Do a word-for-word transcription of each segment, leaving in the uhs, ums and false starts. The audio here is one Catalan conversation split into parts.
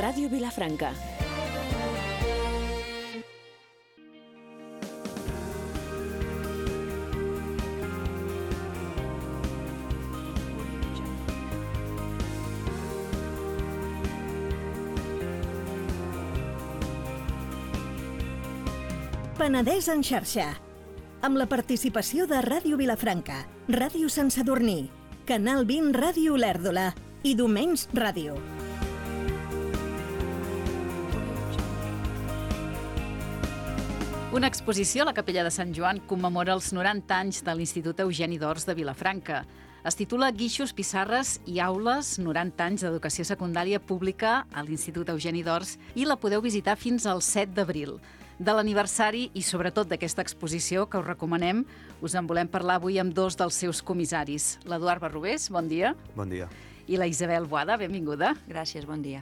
Ràdio Vilafranca. Penedès en xarxa, amb la participació de Ràdio Vilafranca, Ràdio Sant Sadurní, Canal vint Ràdio Olèrdola i Domenys Ràdio. Una exposició a la Capella de Sant Joan commemora els noranta anys de l'Institut Eugeni d'Ors de Vilafranca. Es titula Guixos, pissarres i aules, noranta anys d'educació secundària pública a l'Institut Eugeni d'Ors, i la podeu visitar fins al set d'abril. De l'aniversari i sobretot d'aquesta exposició que us recomanem, us en volem parlar avui amb dos dels seus comissaris. L'Eduard Barrobés, bon dia. Bon dia. I la Isabel Boada, benvinguda. Gràcies, bon dia.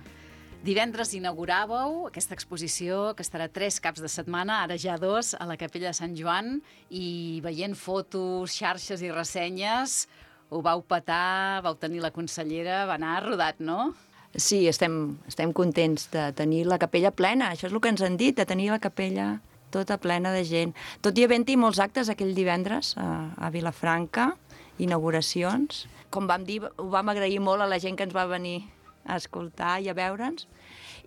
Divendres inauguràveu aquesta exposició que estarà tres caps de setmana, ara ja dos, a la Capella de Sant Joan, i veient fotos, xarxes i ressenyes, ho vau petar, vau tenir la consellera, va anar rodat, no? Sí, estem, estem contents de tenir la capella plena, això és el que ens han dit, de tenir la capella tota plena de gent. Tot i havent-hi molts actes aquell divendres a, a Vilafranca, inauguracions. Com vam dir, ho vam agrair molt a la gent que ens va venir a escoltar i a veure'ns,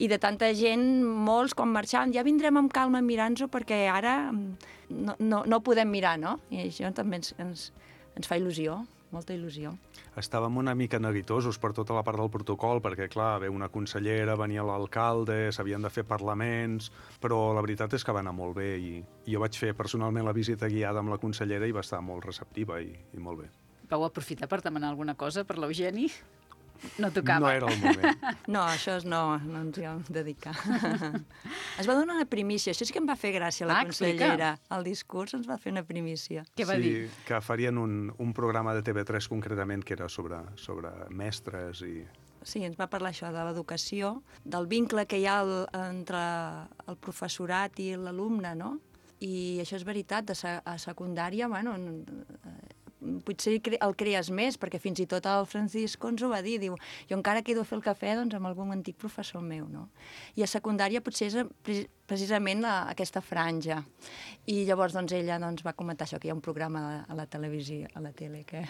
i de tanta gent, molts, quan marxaven, ja vindrem amb calma a mirar-nos-ho perquè ara no, no, no podem mirar, no? I això també ens, ens, ens fa il·lusió, molta il·lusió. Estàvem una mica neguitosos per tota la part del protocol, perquè, clar, ve una consellera, venia l'alcalde, s'havien de fer parlaments, però la veritat és que va anar molt bé i, i jo vaig fer personalment la visita guiada amb la consellera i va estar molt receptiva i, i molt bé. Vau aprofitar per demanar alguna cosa per l'Eugeni? No tocava. No era el moment. No, això és no, no ens hi vam dedicar. Es va donar una primícia, això sí que em va fer gràcia la ah, consellera. El discurs ens va fer una primícia. Què va sí, dir? Que farien un, un programa de T V tres concretament que era sobre, sobre mestres i... Sí, ens va parlar això de l'educació, del vincle que hi ha el, entre el professorat i l'alumne, no? I això és veritat, de se, a secundària, bueno, potser el crees més, perquè fins i tot el Francisco ens ho va dir, diu, jo encara quedo a fer el cafè doncs, amb algun antic professor meu, no? I a secundària potser és precisament la, aquesta franja. I llavors doncs, ella doncs, va comentar això, que hi ha un programa a la, a la televisió, a la tele, que,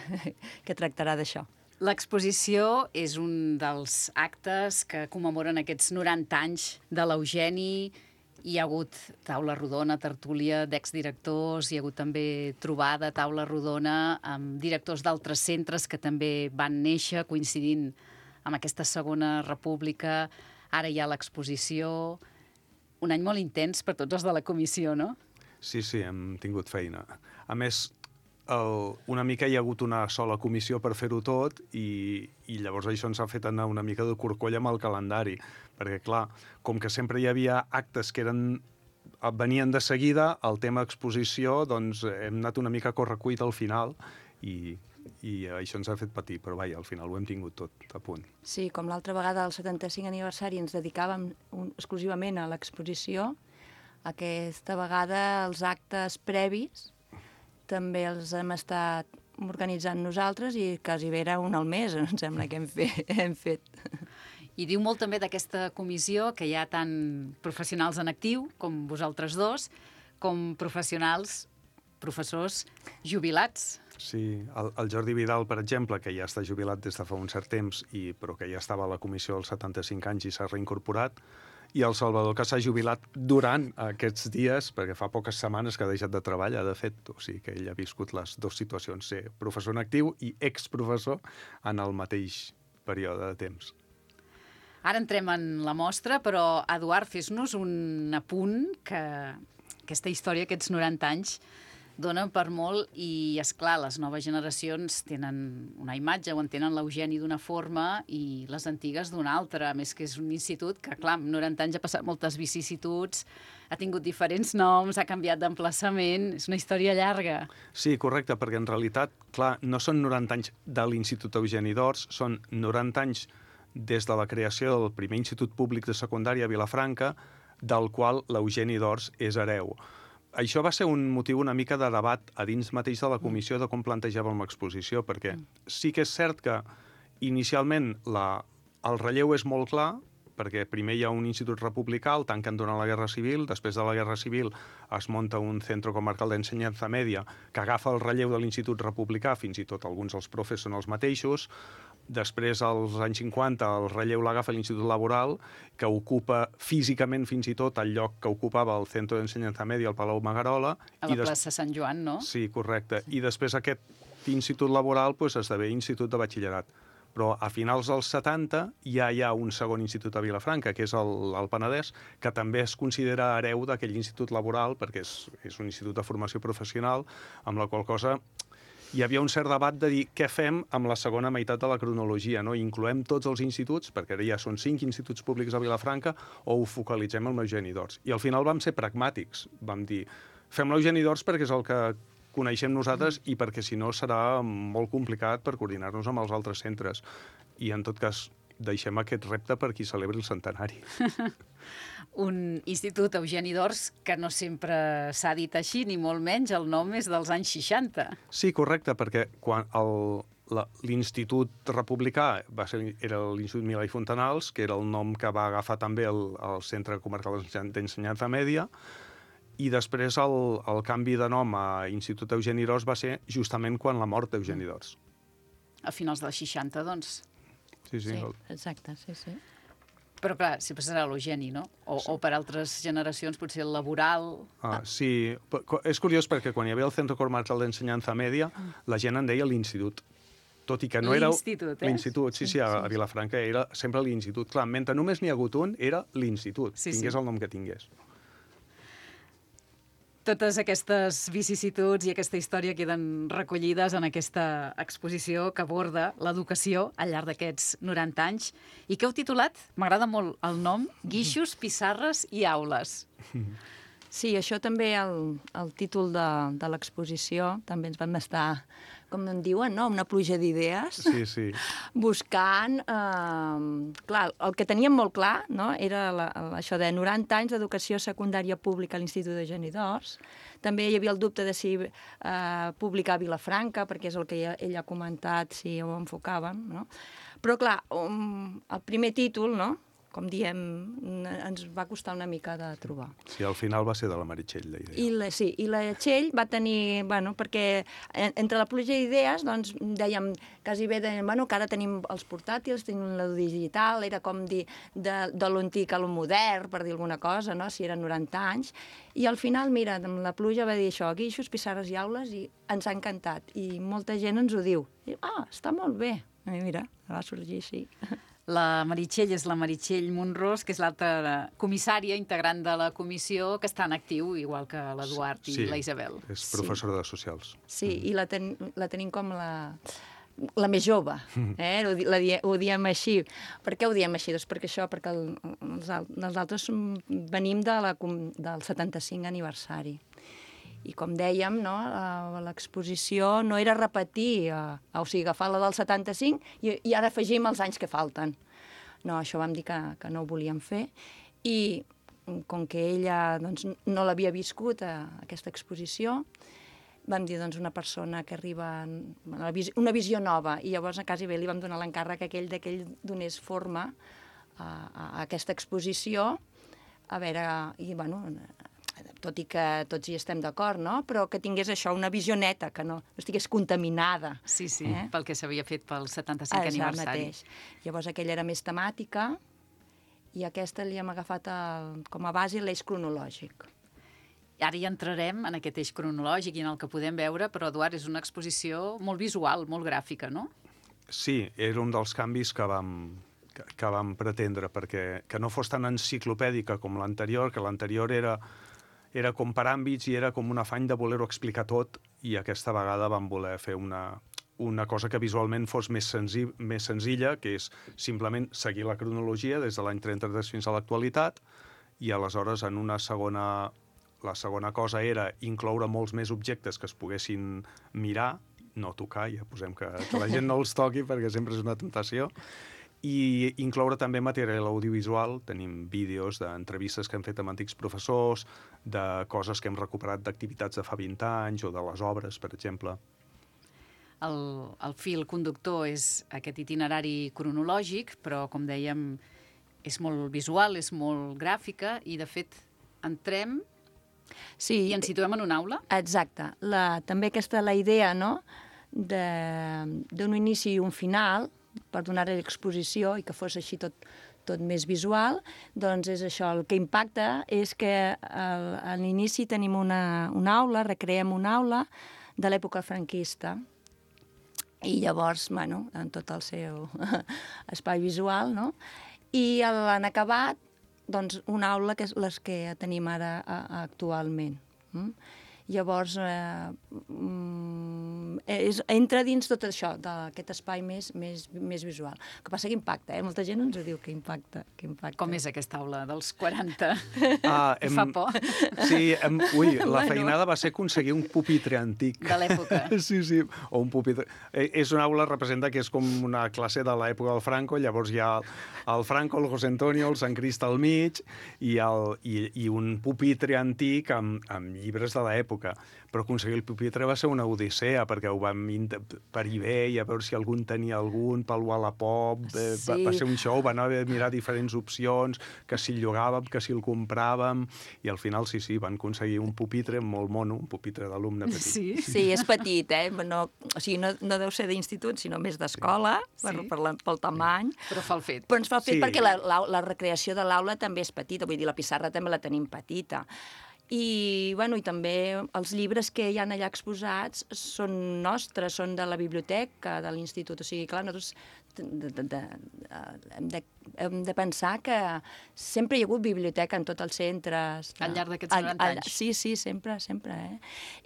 que tractarà d'això. L'exposició és un dels actes que commemoren aquests noranta anys de l'Eugeni. Hi ha hagut taula rodona, tertúlia d'exdirectors, hi ha hagut també trobada, taula rodona amb directors d'altres centres que també van néixer coincidint amb aquesta segona república. Ara hi ha l'exposició. Un any molt intens per tots els de la comissió, no? Sí, sí, hem tingut feina. A més, el, una mica hi ha hagut una sola comissió per fer-ho tot i, i llavors això ens ha fet anar una mica de corcoll amb el calendari, perquè clar, com que sempre hi havia actes que eren, venien de seguida, el tema exposició, doncs hem anat una mica a correcuit al final i, i això ens ha fet patir, però vaja, al final ho hem tingut tot a punt. Sí, com l'altra vegada al setanta-cinc aniversari ens dedicàvem un, exclusivament a l'exposició, aquesta vegada els actes previs també els hem estat organitzant nosaltres i quasi bé era un al mes, em sembla que hem fet. Hem fet. I diu molt també d'aquesta comissió que hi ha tant professionals en actiu, com vosaltres dos, com professionals, professors jubilats. Sí, el, el Jordi Vidal, per exemple, que ja està jubilat des de fa un cert temps, i, però que ja estava a la comissió als setanta-cinc anys i s'ha reincorporat, i el Salvador, que s'ha jubilat durant aquests dies, perquè fa poques setmanes que ha deixat de treballar, de fet, o sigui que ell ha viscut les dues situacions, ser professor en actiu i exprofessor en el mateix període de temps. Ara entrem en la mostra, però, Eduard, fes-nos un apunt que aquesta història, aquests noranta anys, donen per molt i, esclar, les noves generacions tenen una imatge o entenen l'Eugeni d'una forma i les antigues d'una altra. A més que és un institut que, clar, amb noranta anys ha passat moltes vicissituds, ha tingut diferents noms, ha canviat d'emplaçament, és una història llarga. Sí, correcte, perquè en realitat, clar, no són noranta anys de l'Institut Eugeni d'Ors, són noranta anys des de la creació del primer institut públic de secundària a Vilafranca, del qual l'Eugeni d'Ors és hereu. Això va ser un motiu una mica de debat a dins mateix de la comissió de com plantejàvem l'exposició, perquè sí que és cert que inicialment la, el relleu és molt clar, perquè primer hi ha un institut republicà, el tanquen durant la Guerra Civil, després de la Guerra Civil es munta un centre comarcal d'ensenyança mèdia que agafa el relleu de l'institut republicà, fins i tot alguns dels profes són els mateixos. Després, als anys cinquanta, el relleu l'agafa l'Institut Laboral, que ocupa físicament fins i tot el lloc que ocupava el Centre d'Ensenyança Mèdia al Palau Magarola. A la plaça Sant Joan, no? Sí, correcte. I després aquest Institut Laboral pues, esdevé Institut de Batxillerat. Però a finals dels setanta ja hi ha un segon institut a Vilafranca, que és el, el Penedès, que també es considera hereu d'aquell institut laboral, perquè és, és un institut de formació professional, amb la qual cosa hi havia un cert debat de dir què fem amb la segona meitat de la cronologia, no? Incloem tots els instituts, perquè ara ja són cinc instituts públics a Vilafranca, o ho focalitzem en l'Eugeni d'Ors. I al final vam ser pragmàtics, vam dir, fem l'Eugeni d'Ors perquè és el que coneixem nosaltres i perquè si no serà molt complicat per coordinar-nos amb els altres centres. I en tot cas deixem aquest repte per qui celebri el centenari. Un institut Eugeni d'Ors que no sempre s'ha dit així, ni molt menys, el nom és dels anys seixanta. Sí, correcte, perquè quan l'institut republicà va ser, era l'Institut Milà i Fontanals, que era el nom que va agafar també el, el Centre Comarcal d'Ensenyança Mèdia, i després el, el canvi de nom a Institut Eugeni d'Ors va ser justament quan la mort d'Eugeni d'Ors. A finals dels seixanta, doncs. Sí, sí. Sí, El... exacte, sí, sí. Però, clar, sempre serà l'Eugeni, no? O, sí. o per altres generacions, potser el laboral... Ah, sí, és curiós perquè quan hi havia el Centre Comarcal d'Ensenyança Mèdia, la gent en deia l'institut. Tot i que no era... L'institut, eh? L'institut, sí, sí, a, a Vilafranca era sempre l'institut. Clar, mentre només n'hi ha hagut un, era l'institut, sí, tingués sí. el nom que tingués. Totes aquestes vicissituds i aquesta història queden recollides en aquesta exposició que aborda l'educació al llarg d'aquests noranta anys i que heu titulat, m'agrada molt el nom, Guixos, Pissarres i Aules. Sí, això també, el, el títol de, de l'exposició, també ens vam estar, com en diuen, no? Una pluja d'idees. Sí, sí. Buscant... Eh, clar, el que teníem molt clar, no?, era la, això de noranta anys d'educació secundària pública a l'Institut Eugeni d'Ors. També hi havia el dubte de si eh, publicar a Vilafranca, perquè és el que ella, ella ha comentat, si ho enfocàvem, no? Però, clar, um, el primer títol, no?, com diem, ens va costar una mica de trobar. Sí, al final va ser de la Meritxell, la idea. I la, sí, i la Txell va tenir, bueno, perquè entre la pluja d'idees, doncs, dèiem, quasi bé, dèiem, bueno, que ara tenim els portàtils, tenim la digital, era com dir de, de l'antic a lo modern, per dir alguna cosa, no?, si eren noranta anys, i al final, mira, la pluja va dir això, guixos, pissarres i aules, i ens ha encantat, i molta gent ens ho diu. I, ah, està molt bé. I mira, va sorgir així. La Meritxell és la Meritxell Monrós, que és l'altra comissària integrant de la comissió, que està en actiu, igual que l'Eduard i sí, la Isabel. És professora de socials. Sí, mm. i la, ten, la tenim com la, la més jove, eh? ho, la, ho diem així. Per què ho diem així? Doncs perquè això, perquè el, els, els altres venim de la, del setanta-cinc aniversari. I com dèiem, no, l'exposició no era repetir, eh, o sigui, agafar la del setanta-cinc i, i ara afegim els anys que falten. No, això vam dir que, que no ho volíem fer. I com que ella doncs, no l'havia viscut, a aquesta exposició, vam dir, doncs, una persona que arriba una visió, una visió nova, i llavors quasi bé li vam donar l'encàrrec aquell de que ell donés forma a, a aquesta exposició, a veure, i bueno, tot i que tots hi estem d'acord, no?, però que tingués això, una visió neta, que no, no estigués contaminada. Sí, sí, eh? pel que s'havia fet pel setanta-cinc aniversari. Mateix. Llavors aquella era més temàtica i aquesta li hem agafat el, com a base l'eix cronològic. Ara hi entrarem en aquest eix cronològic i en el que podem veure, però, Eduard, és una exposició molt visual, molt gràfica, no? Sí, era un dels canvis que vam, que, que vam pretendre, perquè que no fos tan enciclopèdica com l'anterior, que l'anterior era... era com per àmbits i era com un afany de voler-ho explicar tot, i aquesta vegada vam voler fer una, una cosa que visualment fos més, senzill, més senzilla, que és simplement seguir la cronologia des de l'any trenta-tres fins a l'actualitat, i aleshores en una segona... La segona cosa era incloure molts més objectes que es poguessin mirar, no tocar, ja posem que, que la gent no els toqui perquè sempre és una tentació, i incloure també material audiovisual. Tenim vídeos d'entrevistes que hem fet amb antics professors, de coses que hem recuperat d'activitats de fa vint anys o de les obres, per exemple. El, el fil conductor és aquest itinerari cronològic, però, com dèiem, és molt visual, és molt gràfica, i de fet entrem Sí, i ens situem en una aula. exacte. La, també aquesta la idea, no?, de- d'un inici i un final, per donar-li l'exposició i que fos així tot, tot més visual, doncs és això. El que impacta és que al, a l'inici tenim una, una aula, recreem una aula de l'època franquista, i llavors, bueno, en tot el seu espai visual, no? I en acabat, doncs, una aula que és les que tenim ara a, actualment. Mm? Llavors, eh, mm, és, entra dins tot això, d'aquest espai més, més, més visual. El que passa que impacta, eh? Molta gent ens ho diu, que impacta. Que impacta. Com és aquesta aula dels quaranta? Ah, hem... Fa por. Sí, hem... ui, la Bueno. feinada va ser aconseguir un pupitre antic. De l'època. Sí, sí, o un pupitre. Eh, És una aula, representa que és com una classe de l'època del Franco, llavors hi ha el Franco, el José Antonio, el Sant Crist al mig i, el, i, i un pupitre antic amb, amb llibres de l'època. Però aconseguir el pupitre va ser una odissea, perquè ho vam int- per eBay, a veure si algun tenia algun, pel Wallapop, eh, va, Sí. va ser un show, van haver de mirar diferents opcions, que si el llogàvem, que si el compràvem, i al final sí, sí, van aconseguir un pupitre molt mono, un pupitre d'alumne petit. Sí. Sí, és petit, eh? No, o sigui, no, no deu ser d'institut, sinó més d'escola, Sí. per, per la, pel tamany. Però fa el fet. Però ens fa el fet Sí. perquè la, la, la recreació de l'aula també és petita, vull dir, la pissarra també la tenim petita. I, bueno, i també els llibres que hi ha allà exposats són nostres, són de la biblioteca de l'institut. O sigui, clar, nosaltres de, de, de, hem, de, hem de pensar que sempre hi ha hagut biblioteca en tots els centres. De, Al llarg d'aquests noranta anys. Sí, sí, sempre, sempre. Eh?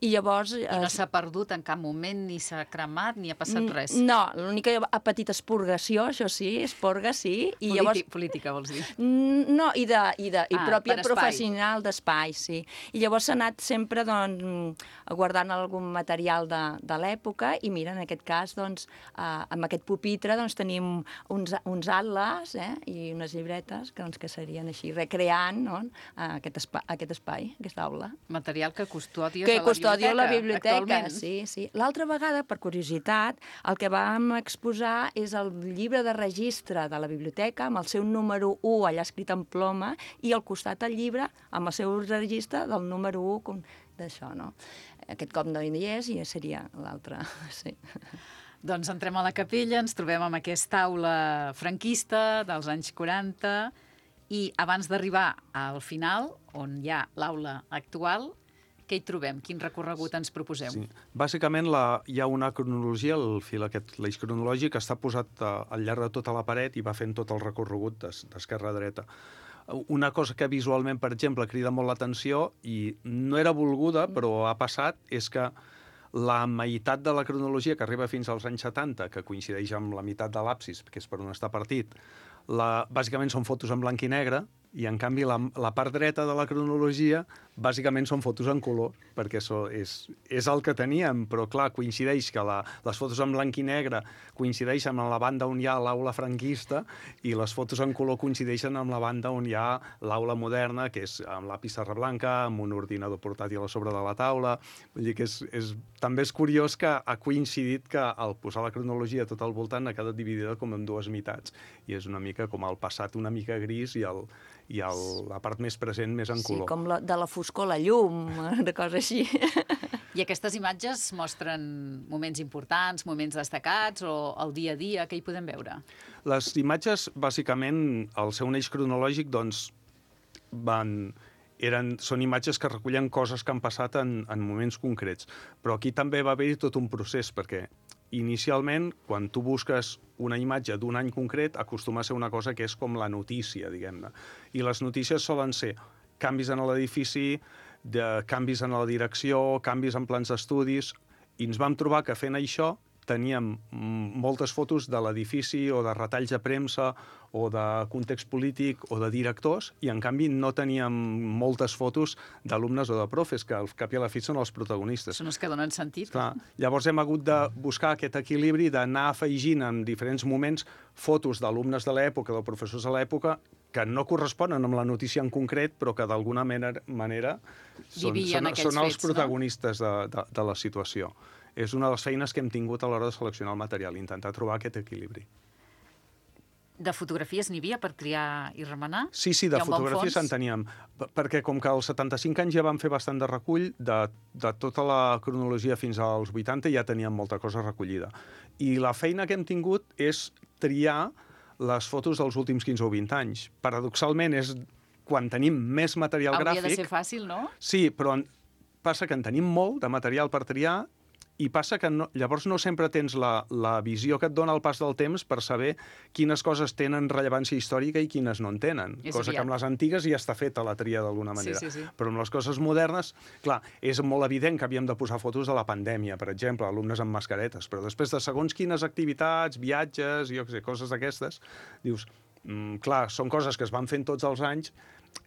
I llavors... I no s'ha perdut en cap moment, ni s'ha cremat, ni ha passat res. No, l'única ha patit expurgació, això sí, esporga, sí. I Polític, llavors... Política, vols dir? Mm, No, i, de, i, de, i Ah, pròpia per espai. professional d'espai, sí. I llavors s'ha anat sempre doncs, guardant algun material de, de l'època i mira, en aquest cas, doncs, eh, amb aquest pupitre doncs, tenim uns, uns atles eh, i unes llibretes que, doncs, que serien així, recreant no? aquest, espai, aquest espai, aquesta aula. Material que custodies Que a la custodio biblioteca, la biblioteca, actualment. sí, sí. L'altra vegada, per curiositat, el que vam exposar és el llibre de registre de la biblioteca amb el seu número u allà escrit en ploma i al costat el llibre amb el seu registre del número u com d'això, no? Aquest cop no hi és i seria l'altre, sí. Doncs entrem a la capella, ens trobem amb aquesta aula franquista dels anys quaranta i abans d'arribar al final, on hi ha l'aula actual, què hi trobem? Quin recorregut ens proposeu? Sí. Bàsicament la, hi ha una cronologia, el fil aquest, l'eix cronològic, està posat uh, al llarg de tota la paret i va fent tot el recorregut d'es- d'esquerra a dreta. Una cosa que visualment, per exemple, crida molt l'atenció i no era volguda, però ha passat, és que la meitat de la cronologia que arriba fins als anys setanta, que coincideix amb la meitat de l'absis, que és per on està partit, la, bàsicament són fotos en blanc i negre, i en canvi la, la part dreta de la cronologia bàsicament són fotos en color, perquè això és, és el que teníem, però clar, coincideix que la, les fotos en blanc i negre coincideixen amb la banda on hi ha l'aula franquista i les fotos en color coincideixen amb la banda on hi ha l'aula moderna, que és amb la pissarra blanca, amb un ordinador portàtil a sobre de la taula. Vull dir que és, és, també és curiós que ha coincidit que al posar la cronologia tot al voltant ha quedat dividida com en dues meitats, i és una mica com el passat una mica gris i el i el, la part més present més en color. Sí, com la, de la foscor a la llum, de cosa així. I aquestes imatges mostren moments importants, moments destacats o el dia a dia, què hi podem veure? Les imatges, bàsicament, al seu eix cronològic, doncs, van, eren, són imatges que recullen coses que han passat en, en moments concrets. Però aquí també va haver-hi tot un procés, perquè inicialment, quan tu busques una imatge d'un any concret, acostuma a ser una cosa que és com la notícia, diguem-ne. I les notícies solen ser canvis en l'edifici, de canvis en la direcció, canvis en plans d'estudis, i ens vam trobar que fent això teníem moltes fotos de l'edifici o de retalls de premsa o de context polític o de directors, i en canvi no teníem moltes fotos d'alumnes o de profes, que al cap i a la fi són els protagonistes. Són els que donen sentit. Clar, llavors hem hagut de buscar aquest equilibri d'anar afegint en diferents moments fotos d'alumnes de l'època, de professors de l'època, que no corresponen amb la notícia en concret, però que d'alguna manera, manera són, Vivien són, aquells són els fets, no? protagonistes de, de, de la situació. És una de les feines que hem tingut a l'hora de seleccionar el material, intentar trobar aquest equilibri. De fotografies n'hi havia per triar i remenar? Sí, sí, de Hi ha un bon fotografies fons? en teníem. P- Perquè com que als setanta-cinc anys ja vam fer bastant de recull, de, de tota la cronologia fins als vuitanta ja teníem molta cosa recollida. I la feina que hem tingut és triar les fotos dels últims quinze o vint anys. Paradoxalment, és quan tenim més material Hauria gràfic... de ser fàcil, no? Sí, però en- passa que en tenim molt de material per triar i passa que no, llavors no sempre tens la, la visió que et dona el pas del temps per saber quines coses tenen rellevància històrica i quines no en tenen. És Cosa que aviat. amb les antigues ja està feta la tria d'alguna Sí, manera. sí, sí. Però amb les coses modernes, clar, és molt evident que havíem de posar fotos de la pandèmia, per exemple, alumnes amb mascaretes, però després de segons quines activitats, viatges, jo què sé, coses d'aquestes, dius, mm, clar, són coses que es van fent tots els anys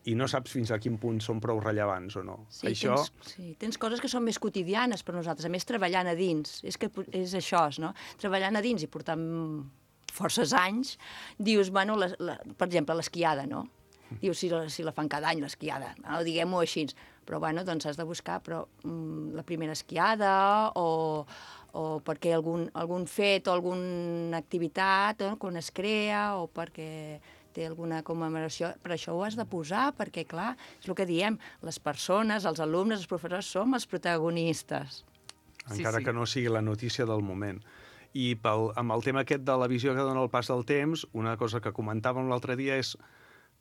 i no saps fins a quin punt són prou rellevants o no. Sí, Això... tens, sí, tens coses que són més quotidianes per nosaltres, a més treballant a dins, és que és això, no? Treballant a dins i portant forces anys, dius, bueno, la, la, per exemple, l'esquiada, no? Dius, si la, si la fan cada any, l'esquiada, no? Diguem-ho així. Però, bueno, doncs has de buscar però, mm, la primera esquiada o, o perquè algun, algun fet o alguna activitat no? Quan es crea o perquè té alguna commemoració, però això ho has de posar perquè, clar, és el que diem, les persones, els alumnes, els professors, som els protagonistes. Encara Sí, sí. que no sigui la notícia del moment. I pel, amb el tema aquest de la visió que dona el pas del temps, una cosa que comentàvem l'altre dia és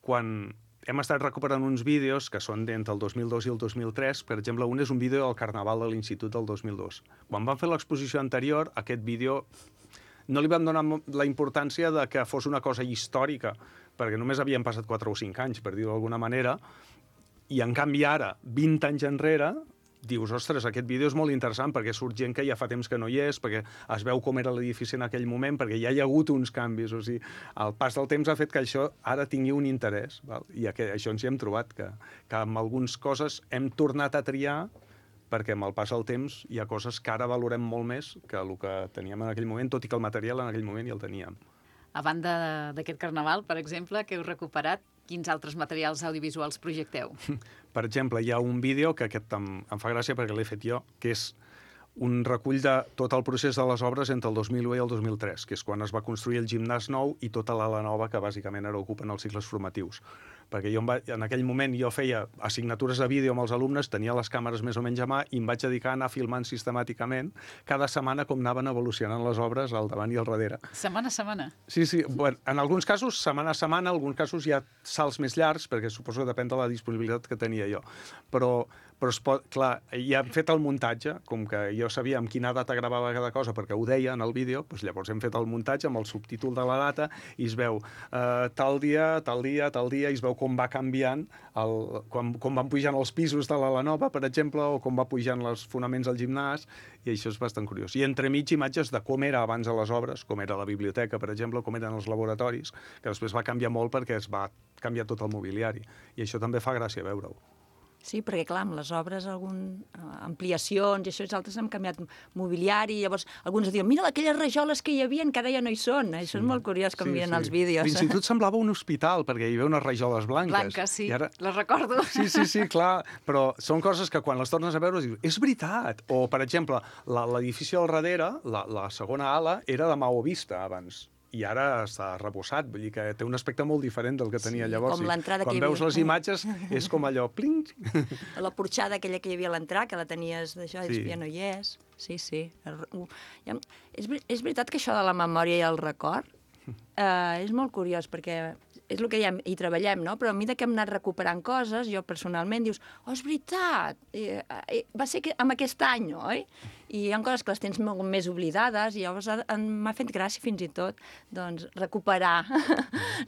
quan hem estat recuperant uns vídeos que són d'entre el dos mil dos i el dos mil tres, per exemple, un és un vídeo del Carnaval de l'Institut del dos mil dos. Quan vam fer l'exposició anterior, aquest vídeo no li vam donar mo- la importància de que fos una cosa històrica, perquè només havien passat quatre o cinc anys, per dir-ho d'alguna manera, i en canvi ara, vint anys enrere, dius, ostres, aquest vídeo és molt interessant perquè surt gent que ja fa temps que no hi és, perquè es veu com era l'edifici en aquell moment, perquè ja hi ha hagut uns canvis. O sigui, el pas del temps ha fet que això ara tingui un interès. Val? I aqu- això ens hi hem trobat, que, que amb algunes coses hem tornat a triar perquè amb el pas del temps hi ha coses que ara valorem molt més que el que teníem en aquell moment, tot i que el material en aquell moment ja el teníem. A banda d'aquest carnaval, per exemple, que heu recuperat, quins altres materials audiovisuals projecteu? Per exemple, hi ha un vídeo que aquest em, em fa gràcia perquè l'he fet jo, que és un recull de tot el procés de les obres entre el dos mil u i el dos mil tres, que és quan es va construir el gimnàs nou i tota l'ala nova que bàsicament ara ocupen els cicles formatius. Perquè jo em va, en aquell moment jo feia assignatures de vídeo amb els alumnes, tenia les càmeres més o menys a mà i em vaig dedicar a anar filmant sistemàticament cada setmana com anaven evolucionant les obres al davant i al darrere. Setmana a setmana. Sí, sí. Bueno, en alguns casos, setmana a setmana, en alguns casos hi ha salts més llargs, perquè suposo que depèn de la disponibilitat que tenia jo. Però, però es pot, clar, ja hem fet el muntatge, com que jo sabia amb quina data gravava cada cosa, perquè ho deia en el vídeo, doncs llavors hem fet el muntatge amb el subtítol de la data i es veu eh, tal dia, tal dia, tal dia, i es veu com va canviant, el, com, com van pujant els pisos de l'ala nova, per exemple, o com va pujant els fonaments del gimnàs, i això és bastant curiós. I entremig imatges de com era abans a les obres, com era la biblioteca, per exemple, com eren els laboratoris, que després va canviar molt perquè es va canviar tot el mobiliari. I això també fa gràcia veure-ho. Sí, perquè, clar, amb les obres, algun, eh, ampliacions i això, els altres han canviat mobiliari, llavors alguns diuen, mira, aquelles rajoles que hi havia que ara ja no hi són. Això és molt curiós com miren els vídeos. Fins i tot semblava un hospital, perquè hi havia unes rajoles blanques. Blanques, sí, I ara... les recordo. Sí, sí, sí, clar, però són coses que quan les tornes a veure dius, és veritat. O, per exemple, la- l'edifici al darrere, la, la segona ala, era de maó vista abans. I ara està reposat, vull dir que té un aspecte molt diferent del que tenia Sí, llavors. com l'entrada Quan que hi veus havia. les imatges és com allò, pling! La porxada aquella que hi havia a l'entrar, que la tenies d'això, Sí. sí. ja no hi és. Sí, sí. Ja, és, ver- és veritat que això de la memòria i el record eh, és molt curiós, perquè és el que ja hi treballem, no? Però a mesura que hem anat recuperant coses, jo personalment dius, oh, és veritat, eh, eh, va ser que, amb aquest any, oi? I hi ha coses que les tens molt més oblidades i llavors ha- en- m'ha fet gràcia fins i tot doncs, recuperar,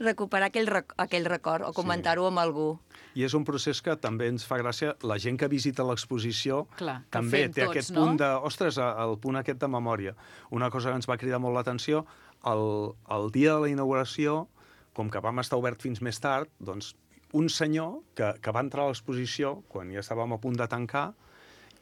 recuperar aquell, rec aquell record o comentar-ho amb algú. I és un procés que també ens fa gràcia. La gent que visita l'exposició Clar, que també fem té tots, aquest no? punt de... Ostres, el punt aquest de memòria. Una cosa que ens va cridar molt l'atenció, el, el dia de la inauguració, com que vam estar obert fins més tard, doncs un senyor que, que va entrar a l'exposició, quan ja estàvem a punt de tancar,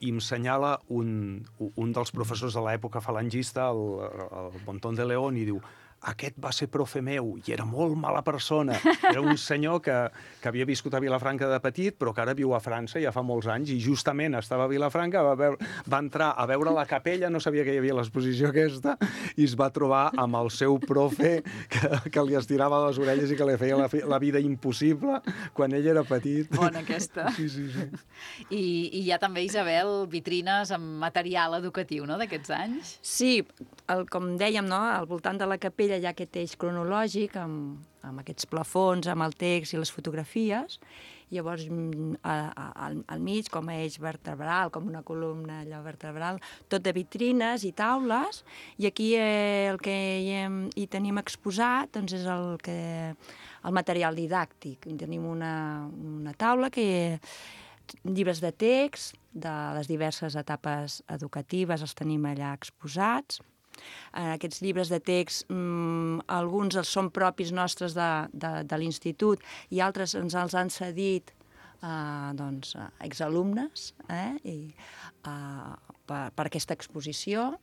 i em senyala un, un dels professors de l'època falangista, el, el Montón de León, i diu, aquest va ser profe meu i era molt mala persona. Era un senyor que, que havia viscut a Vilafranca de petit, però que ara viu a França ja fa molts anys, i justament estava a Vilafranca, va, veure, va entrar a veure la capella, no sabia que hi havia l'exposició aquesta, i es va trobar amb el seu profe que, que li estirava les orelles i que li feia la, la vida impossible quan ell era petit. Bona aquesta. Sí, sí, sí. I, i hi ha també, Isabel, vitrines amb material educatiu, no?, d'aquests anys? Sí, el, com dèiem, no?, al voltant de la capella hi ha aquest eix cronològic amb, amb aquests plafons, amb el text i les fotografies. Llavors, a, a, al, al mig, com a eix vertebral, com una columna allò vertebral, tot de vitrines i taules, i aquí eh, el que hi, hem, hi tenim exposat doncs és el, que, el material didàctic. Tenim una, una taula que llibres de text de les diverses etapes educatives els tenim allà exposats. En aquests llibres de text, mmm, alguns els són propis nostres de, de, de l'institut i altres ens els han cedit eh, doncs, exalumnes eh, i, eh, per, per aquesta exposició.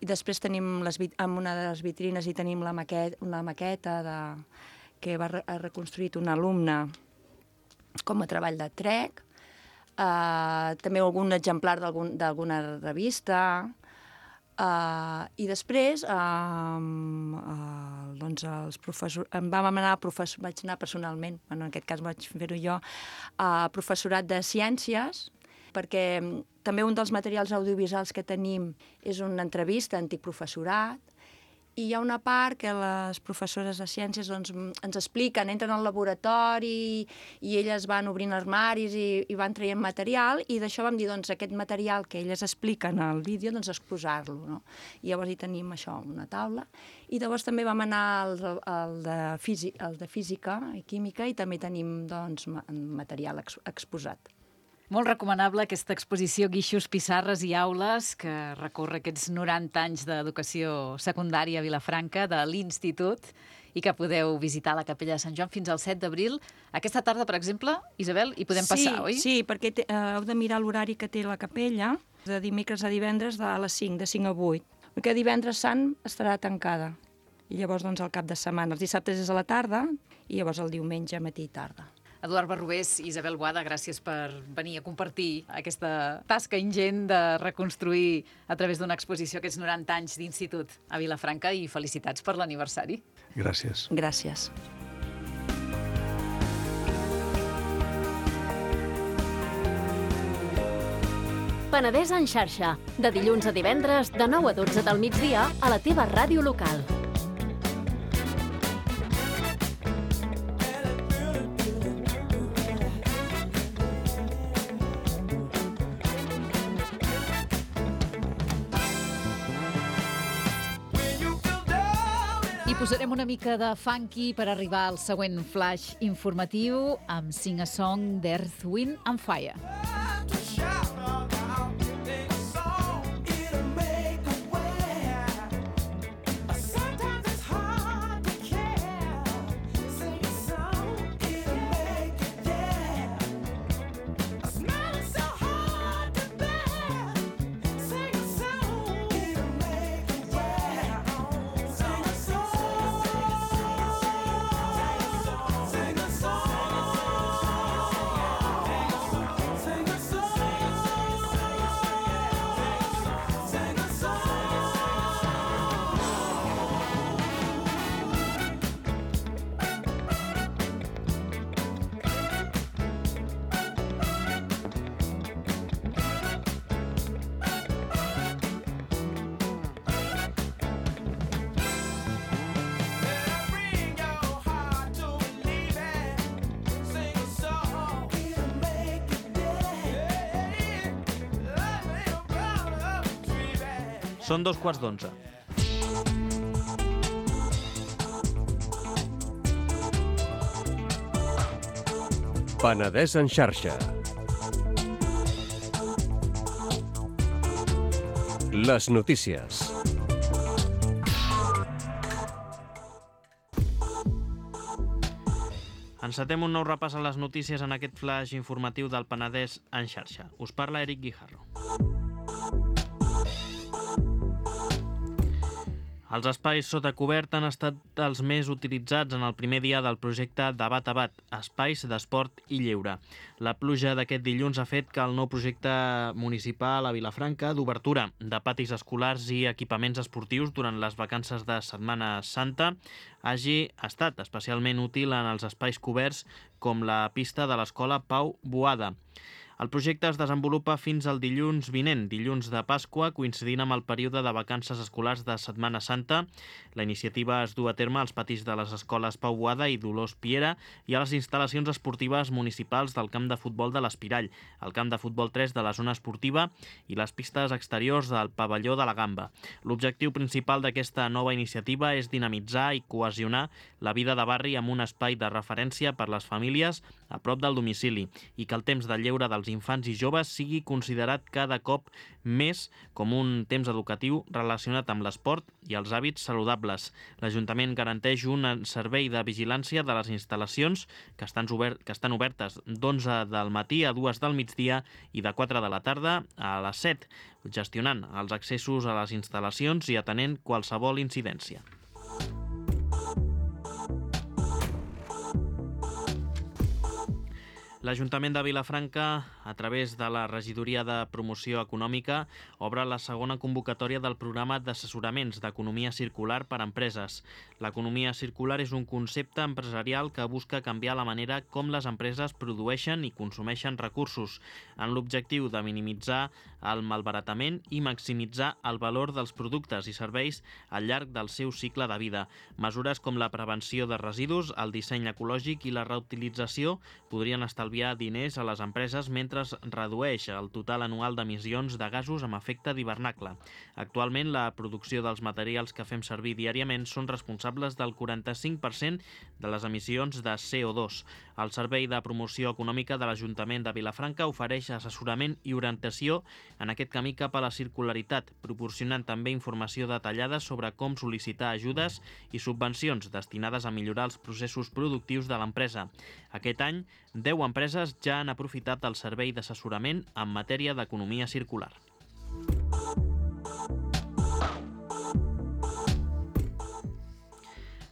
I després tenim les, en una de les vitrines hi tenim la maqueta, una maqueta de, que va re, ha reconstruït un alumne com a treball de trec, eh, també algun exemplar d'alguna revista. Uh, I després uh, uh, doncs els professors, em vam anar a professor, vaig anar personalment, bueno, en aquest cas vaig fer-ho jo, a professorat de ciències, perquè també un dels materials audiovisuals que tenim és una entrevista a antic professorat, i hi ha una part que les professores de ciències doncs, ens expliquen, entren al laboratori i elles van obrint armaris i, i van traient material, i d'això vam dir, doncs, aquest material que elles expliquen al vídeo, doncs, exposar-lo, no? I llavors hi tenim això, una taula, i llavors també vam anar al, al, de, física, al de física i química, i també tenim, doncs, material ex, exposat. Molt recomanable aquesta exposició Guixos, Pissarres i Aules, que recorre aquests noranta anys d'educació secundària a Vilafranca, de l'Institut, i que podeu visitar la Capella de Sant Joan fins al set d'abril. Aquesta tarda, per exemple, Isabel, hi podem passar, sí, oi? Sí, perquè te, uh, heu de mirar l'horari que té la capella, de dimecres a divendres de les cinc, de cinc a vuit. Perquè divendres sant estarà tancada. I llavors, doncs, al cap de setmana. Els dissabtes és a la tarda, i llavors el diumenge, matí i tarda. Eduard Barrobés i Isabel Boada, gràcies per venir a compartir aquesta tasca ingent de reconstruir a través d'una exposició aquests noranta anys d'institut a Vilafranca, i felicitats per l'aniversari. Gràcies. Gràcies. Penedès en xarxa, de dilluns a divendres, de nou a dotze del migdia, a la teva ràdio local. I posarem una mica de funky per arribar al següent flash informatiu amb Sing a Song d'Earth, Wind and Fire. Són dos quarts d'onze. Penedès en xarxa. Les notícies. Encetem un nou repàs a les notícies en aquest flash informatiu del Penedès en xarxa. Us parla Eric Guijarro. Els espais sota cobert han estat els més utilitzats en el primer dia del projecte Debat a Bat, espais d'esport i lleure. La pluja d'aquest dilluns ha fet que el nou projecte municipal a Vilafranca d'obertura de patis escolars i equipaments esportius durant les vacances de Setmana Santa hagi estat especialment útil en els espais coberts com la pista de l'escola Pau Boada. El projecte es desenvolupa fins al dilluns vinent, dilluns de Pasqua, coincidint amb el període de vacances escolars de Setmana Santa. La iniciativa es du a terme als patis de les escoles Pau Boada i Dolors Piera i a les instal·lacions esportives municipals del camp de futbol de l'Espirall, el camp de futbol tres de la zona esportiva i les pistes exteriors del pavelló de la Gamba. L'objectiu principal d'aquesta nova iniciativa és dinamitzar i cohesionar la vida de barri amb un espai de referència per les famílies a prop del domicili i que el temps de lleure dels infants i joves sigui considerat cada cop més com un temps educatiu relacionat amb l'esport i els hàbits saludables. L'Ajuntament garanteix un servei de vigilància de les instal·lacions que estan, obert, que estan obertes d'onze del matí a dues del migdia i de quatre de la tarda a les set, gestionant els accessos a les instal·lacions i atenent qualsevol incidència. L'Ajuntament de Vilafranca, a través de la Regidoria de Promoció Econòmica, obre la segona convocatòria del programa d'assessoraments d'economia circular per a empreses. L'economia circular és un concepte empresarial que busca canviar la manera com les empreses produeixen i consumeixen recursos, en l'objectiu de minimitzar el malbaratament i maximitzar el valor dels productes i serveis al llarg del seu cicle de vida. Mesures com la prevenció de residus, el disseny ecològic i la reutilització podrien estalviar diners a les empreses mentre es redueix el total anual d'emissions de gasos amb efecte d'hivernacle. Actualment, la producció dels materials que fem servir diàriament són responsables del quaranta-cinc per cent de les emissions de C O dos. El Servei de Promoció Econòmica de l'Ajuntament de Vilafranca ofereix assessorament i orientació en aquest camí cap a la circularitat, proporcionant també informació detallada sobre com sol·licitar ajudes i subvencions destinades a millorar els processos productius de l'empresa. Aquest any, deu empreses ja han aprofitat el servei d'assessorament en matèria d'economia circular.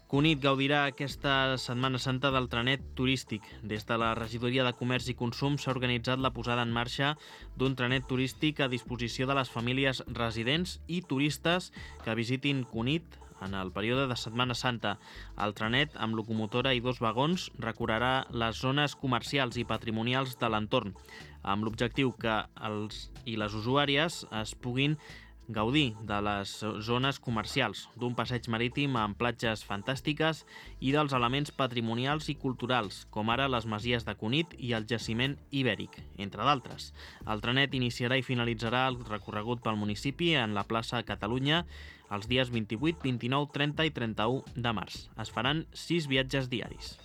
Cunit gaudirà aquesta Setmana Santa del trenet turístic. Des de la Regidoria de Comerç i Consum s'ha organitzat la posada en marxa d'un trenet turístic a disposició de les famílies residents i turistes que visitin Cunit en el període de Setmana Santa. El trenet, amb locomotora i dos vagons, recorrerà les zones comercials i patrimonials de l'entorn, amb l'objectiu que els i les usuàries es puguin gaudir de les zones comercials, d'un passeig marítim amb platges fantàstiques i dels elements patrimonials i culturals, com ara les masies de Cunit i el jaciment ibèric, entre d'altres. El trenet iniciarà i finalitzarà el recorregut pel municipi en la plaça Catalunya els dies vint-i-vuit, vint-i-nou, trenta i trenta-u de març. Es faran sis viatges diaris.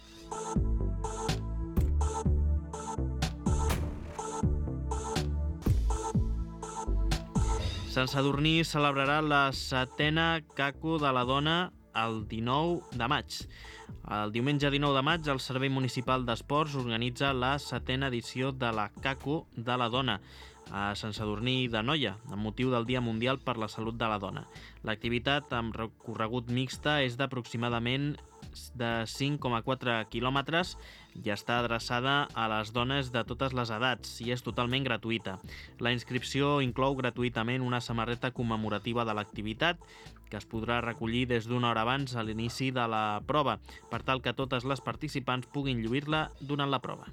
Sant Sadurní celebrarà la setena Caco de la Dona el dinou de maig. El diumenge dinou de maig, el Servei Municipal d'Esports organitza la setena edició de la Caco de la Dona a Sant Sadurní d'Anoia, amb motiu del Dia Mundial per la Salut de la Dona. L'activitat amb recorregut mixta és d'aproximadament de cinc coma quatre quilòmetres i està adreçada a les dones de totes les edats i és totalment gratuïta. La inscripció inclou gratuïtament una samarreta commemorativa de l'activitat que es podrà recollir des d'una hora abans a l'inici de la prova, per tal que totes les participants puguin lluir-la durant la prova.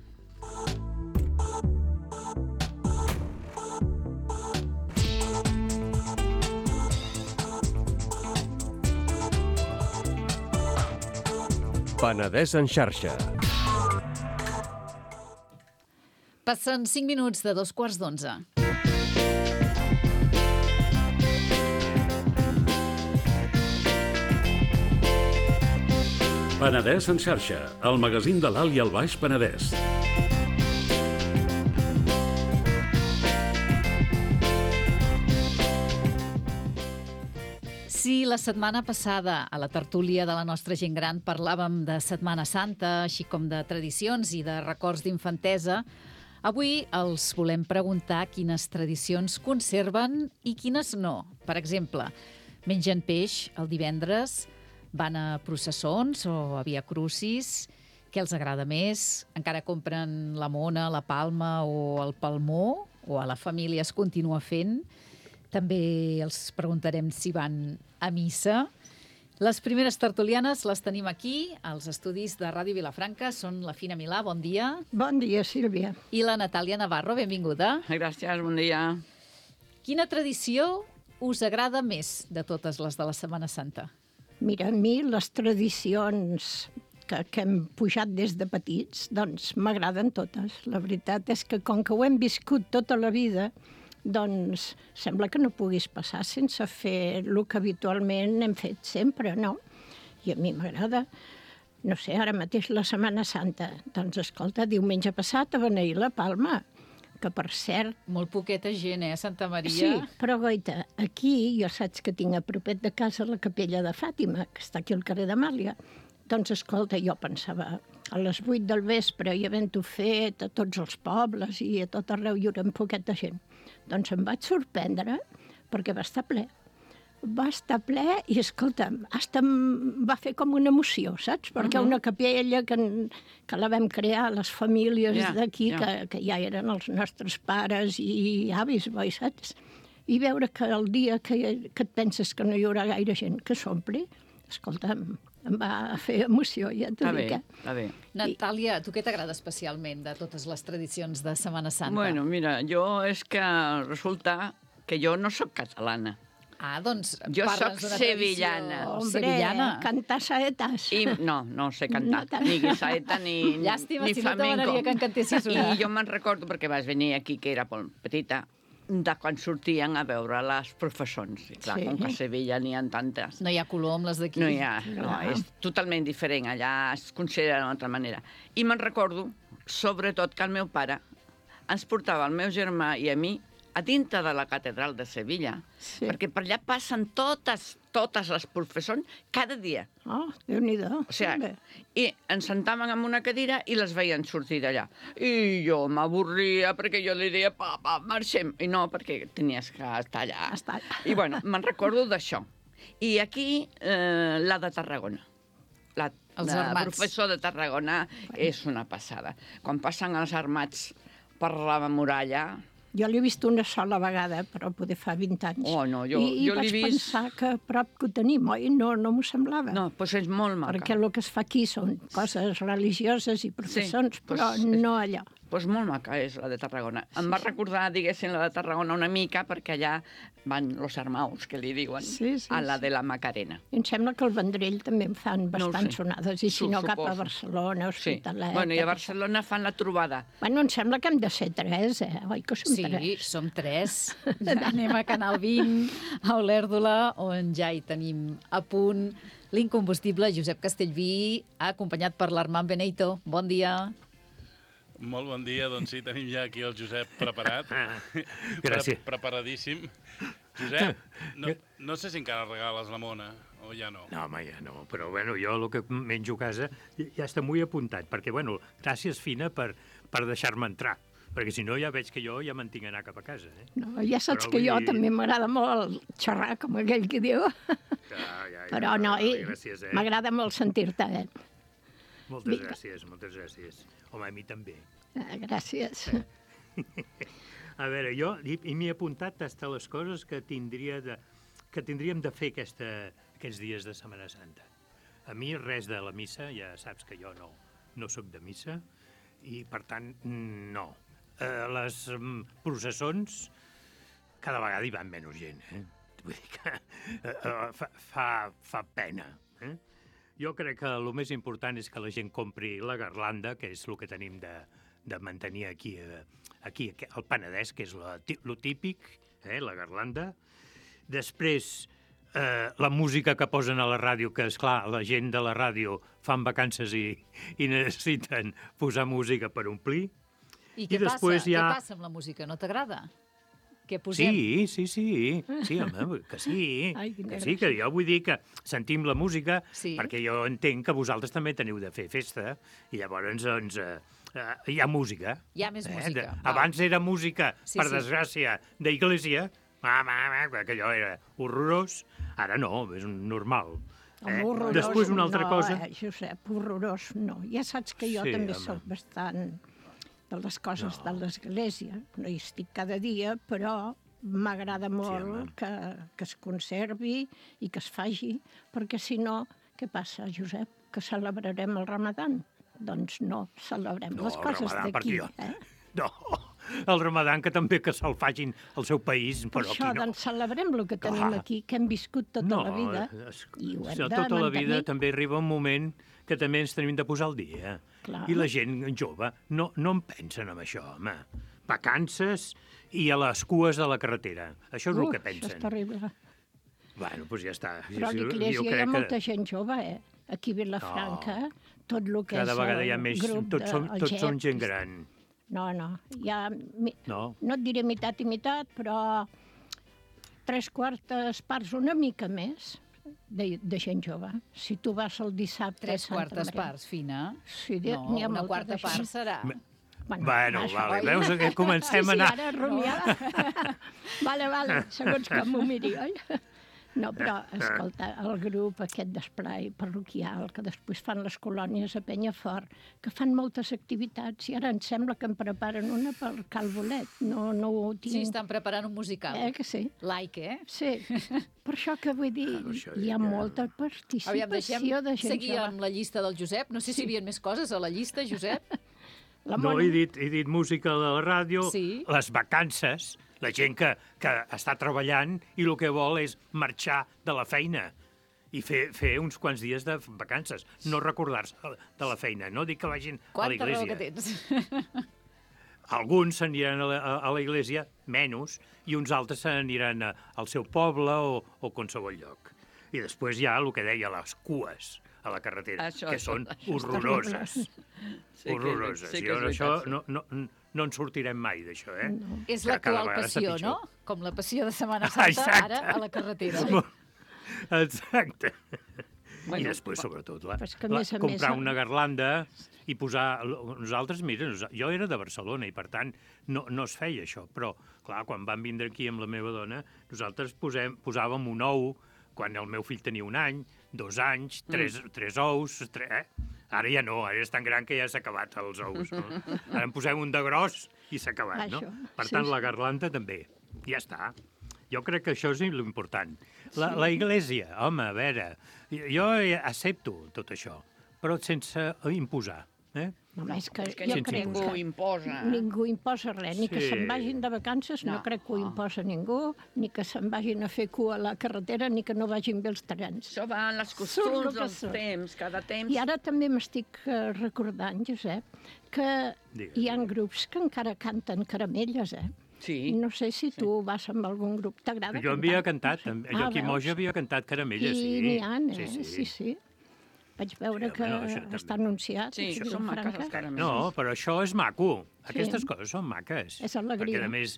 Penedès en xarxa. Passen cinc minuts de dos quarts d'onze. Penedès en xarxa, el magazín de l'Alt i el Baix Penedès. Si la setmana passada a la tertúlia de la nostra gent gran parlàvem de Setmana Santa, així com de tradicions i de records d'infantesa, avui els volem preguntar quines tradicions conserven i quines no. Per exemple, mengen peix el divendres, van a processons o a Via Crucis. Què els agrada més? Encara compren la mona, la palma o el palmó? O a la família es continua fent? També els preguntarem si van a missa. Les primeres tertulianes les tenim aquí, als estudis de Ràdio Vilafranca. Són la Fina Milà, bon dia. Bon dia, Sílvia. I la Natàlia Navarro, benvinguda. Gràcies, bon dia. Quina tradició us agrada més de totes les de la Setmana Santa? Mira, a mi les tradicions que, que hem pujat des de petits, doncs m'agraden totes. La veritat és que com que ho hem viscut tota la vida, doncs sembla que no puguis passar sense fer el que habitualment hem fet sempre, no? I a mi m'agrada. No sé, ara mateix la Setmana Santa. Doncs escolta, diumenge passat a beneir la Palma, que per cert... Molt poqueta gent, eh, Santa Maria? Sí, però goita, aquí jo saps que tinc a propet de casa la capella de Fàtima, que està aquí al carrer d'Amàlia. Doncs escolta, jo pensava, a les vuit del vespre i havent-ho fet a tots els pobles i a tot arreu hi haurà un poquet de gent. Doncs em vaig sorprendre perquè va estar ple. Va estar ple i, escolta'm, hasta em va fer com una emoció, saps? Perquè Uh-huh. una capella que, que la vam crear les famílies Ja, d'aquí, ja. que, que ja eren els nostres pares i avis, boi, saps? I veure que el dia que, que et penses que no hi haurà gaire gent que s'ompli, escolta'm, em va fer emoció, ja t'ho Està bé, dic, eh? està bé. Natàlia, tu què t'agrada especialment de totes les tradicions de Setmana Santa? Bueno, mira, jo és que resulta que jo no sóc catalana. Ah, doncs Jo parla'ns soc d'una sevillana. tradició Hombre, sevillana. cantar saetes. I no, no sé cantar, No tant. ni guisaeta ni, Llàstima, ni si no flamenco. t'agradaria que en cantessis una. I jo me'n recordo, perquè vas venir aquí, que era molt petita, de quan sortien a veure les professons. I clar, Sí. com que a Sevilla n'hi ha tantes. No hi ha color amb les d'aquí. No hi ha, no, No. és totalment diferent, allà es considera d'una altra manera. I me'n recordo, sobretot, que el meu pare ens portava el meu germà i a mi a dintre de la catedral de Sevilla, Sí. perquè per allà passen totes, totes les professons cada dia. Oh, Déu-n'hi-do. O sigui, i ens sentaven en una cadira i les veien sortir d'allà. I jo m'avorria perquè jo li deia, papa, marxem. I no, perquè tenies que estar allà. Estar allà. I bueno, me'n recordo d'això. I aquí, eh, la de Tarragona. La, Els la armats. professor de Tarragona és una passada. Quan passen els armats per la muralla... Jo l'he vist una sola vegada, però poder fa vint anys. Oh, no, jo, I, jo i l'he vaig vist... pensar que a prop que ho tenim, oi? No, no m'ho semblava. No, doncs és molt maca. Perquè el que es fa aquí són coses religioses i professons, Sí, però doncs- no allò. Doncs molt maca és la de Tarragona. Em va recordar, diguéssim, la de Tarragona una mica, perquè allà van los armaus, que li diuen, Sí, sí, a la sí. de la Macarena. I em sembla que el Vendrell també en fan No ho bastant sé. sonades, i si Su- no cap a suposo. Barcelona, Sí. Hospitalet... Bueno, i a tot Barcelona fan la trobada. això. Bueno, em sembla que hem de ser tres, eh? Oi que som Sí, tres? som tres. Anem a Canal vint, a Olèrdola, on ja hi tenim a punt l'incombustible Josep Castellví, acompanyat per l'Armand Beneito. Bon dia. Molt bon dia, doncs sí, tenim ja aquí el Josep preparat. Gràcies. Pre Preparadíssim. Josep, no, no sé si encara regales la mona, o ja no. No, home, ja no, però bueno, jo el que menjo a casa ja està molt apuntat, perquè bueno, gràcies, Fina, per, per deixar-me entrar, perquè si no ja veig que jo ja me'n tinc d'anar cap a casa. Eh? No, ja saps Però que jo vull dir- també m'agrada molt xerrar, com aquell que diu. Ja, ja, ja, Però no, i gràcies, eh? m'agrada molt sentir-te, eh? Moltes Vinga. gràcies, moltes gràcies. Home, a mi també. Ah, gràcies. A veure, jo i, i m'he apuntat hasta les coses que, tindria de, que tindríem de fer aquesta, aquests dies de Setmana Santa. A mi res de la missa, ja saps que jo no, no sóc de missa, i per tant, no. Eh, les mm, processons, cada vegada hi van menys gent, eh? Vull dir que eh, eh, fa, fa, fa pena. Eh? Jo crec que el més important és que la gent compri la garlanda, que és el que tenim de, de mantenir aquí, eh, aquí al Penedès, que és lo típic, eh, la garlanda. Després, eh, la música que posen a la ràdio, que, és clar, la gent de la ràdio fan vacances i, i necessiten posar música per omplir. I què, I després passa? hi ha- Què passa amb la música? No t'agrada? Què posem? Sí, sí, sí, sí, home, que sí, Ai, quina que sí, que jo vull dir que sentim la música, Sí. perquè jo entenc que vosaltres també teniu de fer festa, i llavors, doncs, eh, eh, hi ha música. Hi ha més música, De, val. abans era música, Sí, per sí. desgràcia, d'església, que allò era horrorós, Ara no, és un normal. Home, Eh? horrorós, Després una altra no, cosa... eh, Josep, horrorós, no. Ja saps que jo Sí, també home. soc bastant de les coses de l'Església. No hi estic cada dia, però m'agrada molt home. que, que es conservi i que es faci, perquè si no, què passa, Josep? Que celebrarem el Ramadan? Doncs no, celebrem No, les el coses Ramadan, d'aquí. perquè jo- Eh? No, el Ramadan que també que se'l facin al seu país, Per però això, aquí no. doncs, celebrem el que tenim Clar. aquí, que hem viscut tota no, la vida, es- i ho hem si de tota la vida mantenir. també arriba un moment que també ens tenim de posar al dia. Clar. I la gent jove no, no en pensen en això, home. Vacances i a les cues de la carretera. Això és el Uf, que això és pensen. terrible. Bueno, doncs ja està. Però a Jo l'Iglésia hi ha crec molta gent jove, eh? Aquí a Vilafranca, tot el que Cada és vegada el hi ha més... grup Tots, de, som, el tots G E P. són gent gran. No, no, hi ha, mi, No? no et diré meitat i meitat, però tres quartes parts, una mica més, de, de gent jove. Si tu vas el dissabte Tres a Santa quartes Maria. parts, Fina. Sí, No, n'hi ha una molta quarta d'això. part serà. Bueno, Bueno, això, vale, oi? veus que comencem sí, a anar... Sí, ara rumiar. vale, vale, segons com m'ho miri, oi? No, però, escolta, el grup aquest d'esplai parroquial, que després fan les colònies a Penyafort, que fan moltes activitats, i ara em sembla que en preparen una per Cal Bolet. No, no ho tinc... Sí, estan preparant un musical. Eh, que sí? Like, eh? Sí, per això que vull dir, hi ha molta participació Aviam, deixem de gent seguir jove. amb la llista del Josep. No sé si hi havia més coses a la llista, Josep. La No, Mònica- he dit, he dit música de la ràdio, Sí. les vacances, la gent que, que està treballant i el que vol és marxar de la feina i fer, fer uns quants dies de vacances, no recordar-se de la feina, no dic que vagin a la Quanta raó iglesia. que tens. Alguns s'aniran a, la, a la iglesia, menys, i uns altres s'aniran a- al seu poble o, o qualsevol lloc. I després hi ha el que deia les cues a la carretera, Això, que això, són això és horroroses. Sí que- horroroses. sí que I és això veritat, sí. no, no, no en sortirem mai, d'això, eh? No. És Que cada l'actual vegada està passió, pitjor. no? Com la passió de Setmana Santa, Exacte. ara a la carretera. Exacte. Bueno, I després, sobretot, la, però és que a la, més a comprar més- una garlanda i posar... Nosaltres, mira, nos- jo era de Barcelona i, per tant, no, no es feia això. Però, clar, quan vam vindre aquí amb la meva dona, nosaltres posem, posàvem un ou quan el meu fill tenia un any, dos anys, tres, mm. tres ous... Tres, eh? Ara ja no, ara és tan gran que ja s'ha acabat els ous. No? Ara en posem un de gros i s'ha acabat, no? Això, Per sí, tant, sí. la garlanda també. Ja està. Jo crec que això és l'important. La, la iglesia, home, a veure, jo accepto tot això, però sense imposar. Eh? Home, és que, És que jo ningú crec que imposa. ningú imposa res, ni que Sí. se'n vagin de vacances, no, No. crec que ho imposa ningú, ni que se'n vagin a fer cua a la carretera, ni que no vagin bé els trens. Això va en les Surt costums, el que els surt. temps, cada temps... I ara també m'estic eh, recordant, Josep, que Digues, hi ha grups que encara canten caramelles, eh? Sí. No sé si tu vas amb algun grup, t'agrada Jo cantar? havia cantat, No sé. també. jo aquí veus? Moja havia cantat caramelles, I sí. n'hi ha, eh? Sí, sí, sí. Vaig veure Sí, que home, no, això també. està anunciat. Sí, aquí a això són maques, Vilafranca. els caramels. No, però això és maco. Sí. Aquestes coses són maques. És alegria. Perquè, a més,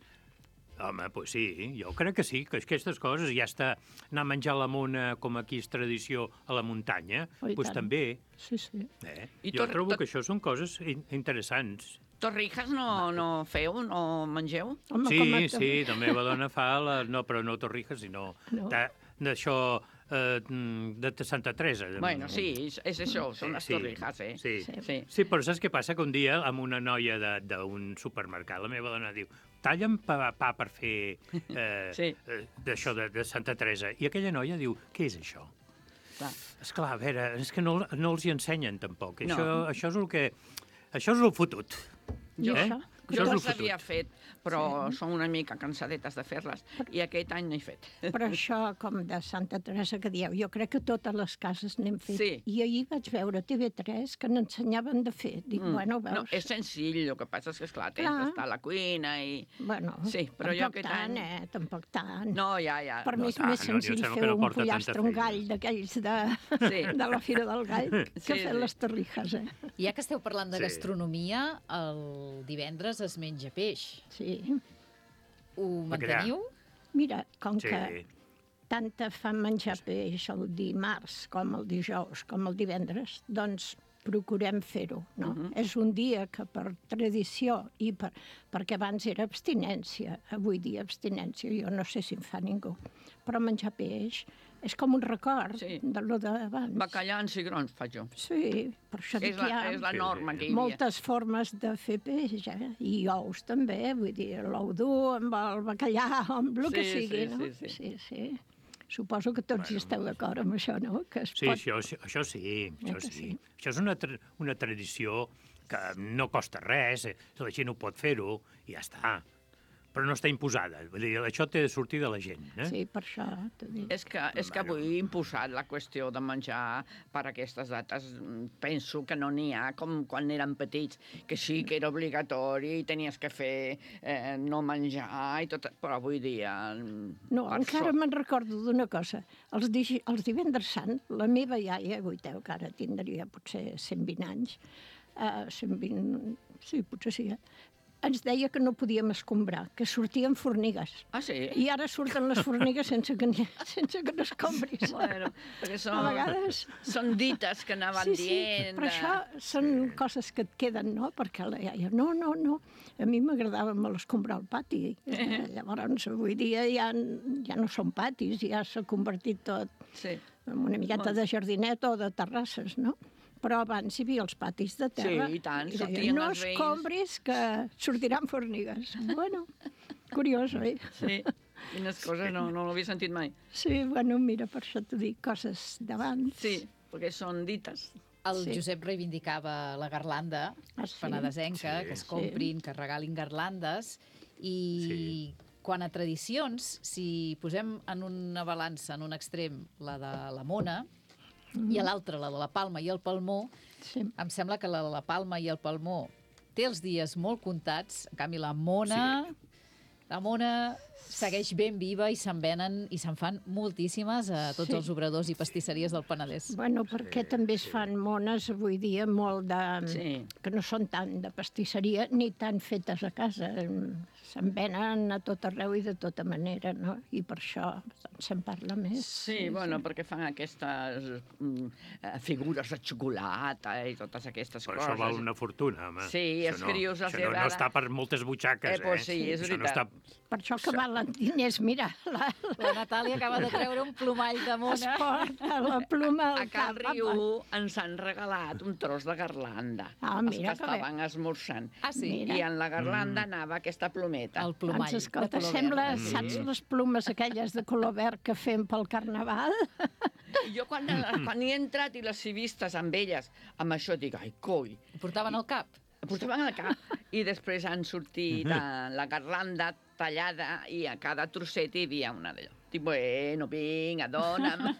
home, doncs sí, jo crec que sí, que aquestes coses, ja està anar a menjar la mona, com aquí és tradició, a la muntanya, Oh, i doncs tant. també. Sí, sí. Eh? I Jo tot- trobo tot- que això són coses in interessants. Torrijas no, no feu, no mengeu? Home, Sí, com a- sí, la meva dona fa, la, no, però no torrijas, sinó No. de- d'això eh, de, de Santa Teresa. Bueno, sí, és, és això, són les Sí, torrijas, eh? Sí. Sí. Sí. Sí, però saps què passa? Que un dia amb una noia de- d'un supermercat, la meva dona diu, talla'm pa, pa per fer eh, Sí. eh, d'això de, de Santa Teresa. I aquella noia diu, què és això? Clar. Esclar, a veure, és que no, no els hi ensenyen tampoc. No. Això, això és el que... Això és el fotut. I Eh? això? Això Jo és el les havia fotut. fet, però sí. Som una mica cansadetes de fer-les, i aquest any no he fet. Però això, com de Santa Teresa que dieu, jo crec que totes les cases n'hem fet. Sí. I ahir vaig veure a T V tres que n'ensenyaven de fer. Dic, Mm. bueno, No, veus... és senzill, el que passa és que, esclar, tens Clar. d'estar a la cuina i... Bueno, Sí, però jo tampoc aquest tant, any- eh? Tampoc tant. No, ja, ja. Per no mi és tant, més no, jo em senzill sembla fer que no un porta pollastre, tanta un feina. gall d'aquells de, Sí. de la Fira del Gall, que Sí, fer sí. les torrijas, eh? Ja que esteu parlant de Sí. gastronomia, el divendres es menja peix. Sí. Ho Bacallà. manteniu? Mira, com Sí. que tant te fan menjar peix el dimarts com el dijous com el divendres, doncs procurem fer-ho, no? Mhm. És un dia que per tradició i per, perquè abans era abstinència, avui dia abstinència, jo no sé si en fa ningú, però menjar peix és com un record sí. de lo d'abans. Bacallà en cigrons faig jo. Sí, per això és, la, és la norma que hi havia. Moltes formes de fer peix, eh? I ous també, vull dir, l'ou dur amb el bacallà, amb el sí, que sigui, sí, no? Sí, sí. sí, sí. Suposo que tots bueno. hi esteu d'acord amb això, no? Que es sí, pot... això, això sí, això sí. sí. Això és una, tra una tradició que no costa res, la gent ho pot fer-ho i ja està. Però no està imposada. Vull dir, això té de sortir de la gent. Eh? Sí, per això t'ho dic. És que, és que avui imposat la qüestió de menjar per aquestes dates. Penso que no n'hi ha com quan érem petits, que sí que era obligatori i tenies que fer eh, no menjar i tot, però avui dia... No, encara me'n recordo d'una cosa. Els, di els divendres sant, la meva iaia, Goiteu, que ara tindria potser cent vint anys, uh, cent vint, sí, potser sí, eh? ens deia que no podíem escombrar, que sortien formigues. Ah, sí? I ara surten les formigues sense que, sense que n'escombris. Bueno, perquè són, a vegades... són dites que anaven sí, sí, dient... però això són coses que et queden, no? Perquè la iaia, no, no, no, a mi m'agradava molt escombrar el pati. Eh. Llavors, avui dia ja, ja no són patis, ja s'ha convertit tot sí. en una miqueta de jardinet o de terrasses, no? Però abans hi havia els patis de terra. Sí, i tant, sortien no els veïns. No escombris, que sortiran formigues. Bueno, curiós, oi? Sí, quines coses, no, no l'havia sentit mai. Sí, bueno, mira, per això t'ho dic, coses d'abans. Sí, perquè són dites. El Sí. Josep reivindicava la garlanda Ah, sí? penedesenca, Sí. que es comprin, que regalin garlandes, i Sí. quan a tradicions, si posem en una balança, en un extrem, la de la mona, i a l'altre, la de la palma i el palmó, sí. em sembla que la de la palma i el palmó té els dies molt comptats, en canvi la mona... Sí. La mona segueix ben viva i se'n venen i se'n fan moltíssimes a tots Sí. els obradors i pastisseries del Penedès. Bueno, perquè també es fan mones avui dia molt de... Sí. que no són tant de pastisseria ni tan fetes a casa. Se'n venen a tot arreu i de tota manera, no? I per això se'n parla més. Sí, bueno, perquè fan aquestes mm, eh, figures de xocolata i totes aquestes Però coses. això val una fortuna, home. Sí, Això els no- crios els Això no, no agrada. està per moltes butxaques, Eh, pues eh? sí, és Això no veritat. està... Per això que valen diners, mira, la, La Natàlia acaba de treure un plomall de es mona. porta la pluma A al Cal cap. Riu ens han regalat un tros de garlanda. Ah, els mira que que bé. estaven esmorzant. Ah, sí? Mira. I en la garlanda Mm. anava aquesta plometa. El plomall Doncs escolta, de color sembla, verd. saps les plumes aquelles de color verd que fem pel carnaval? I jo quan, quan hi he entrat i les he vistes amb elles, amb això dic, ai, coi, Ho portaven al cap. ho portaven al cap. I després han sortit a la garlanda tallada i a cada trosset hi havia una d'allò. Dic, bueno, vinga, dona'm.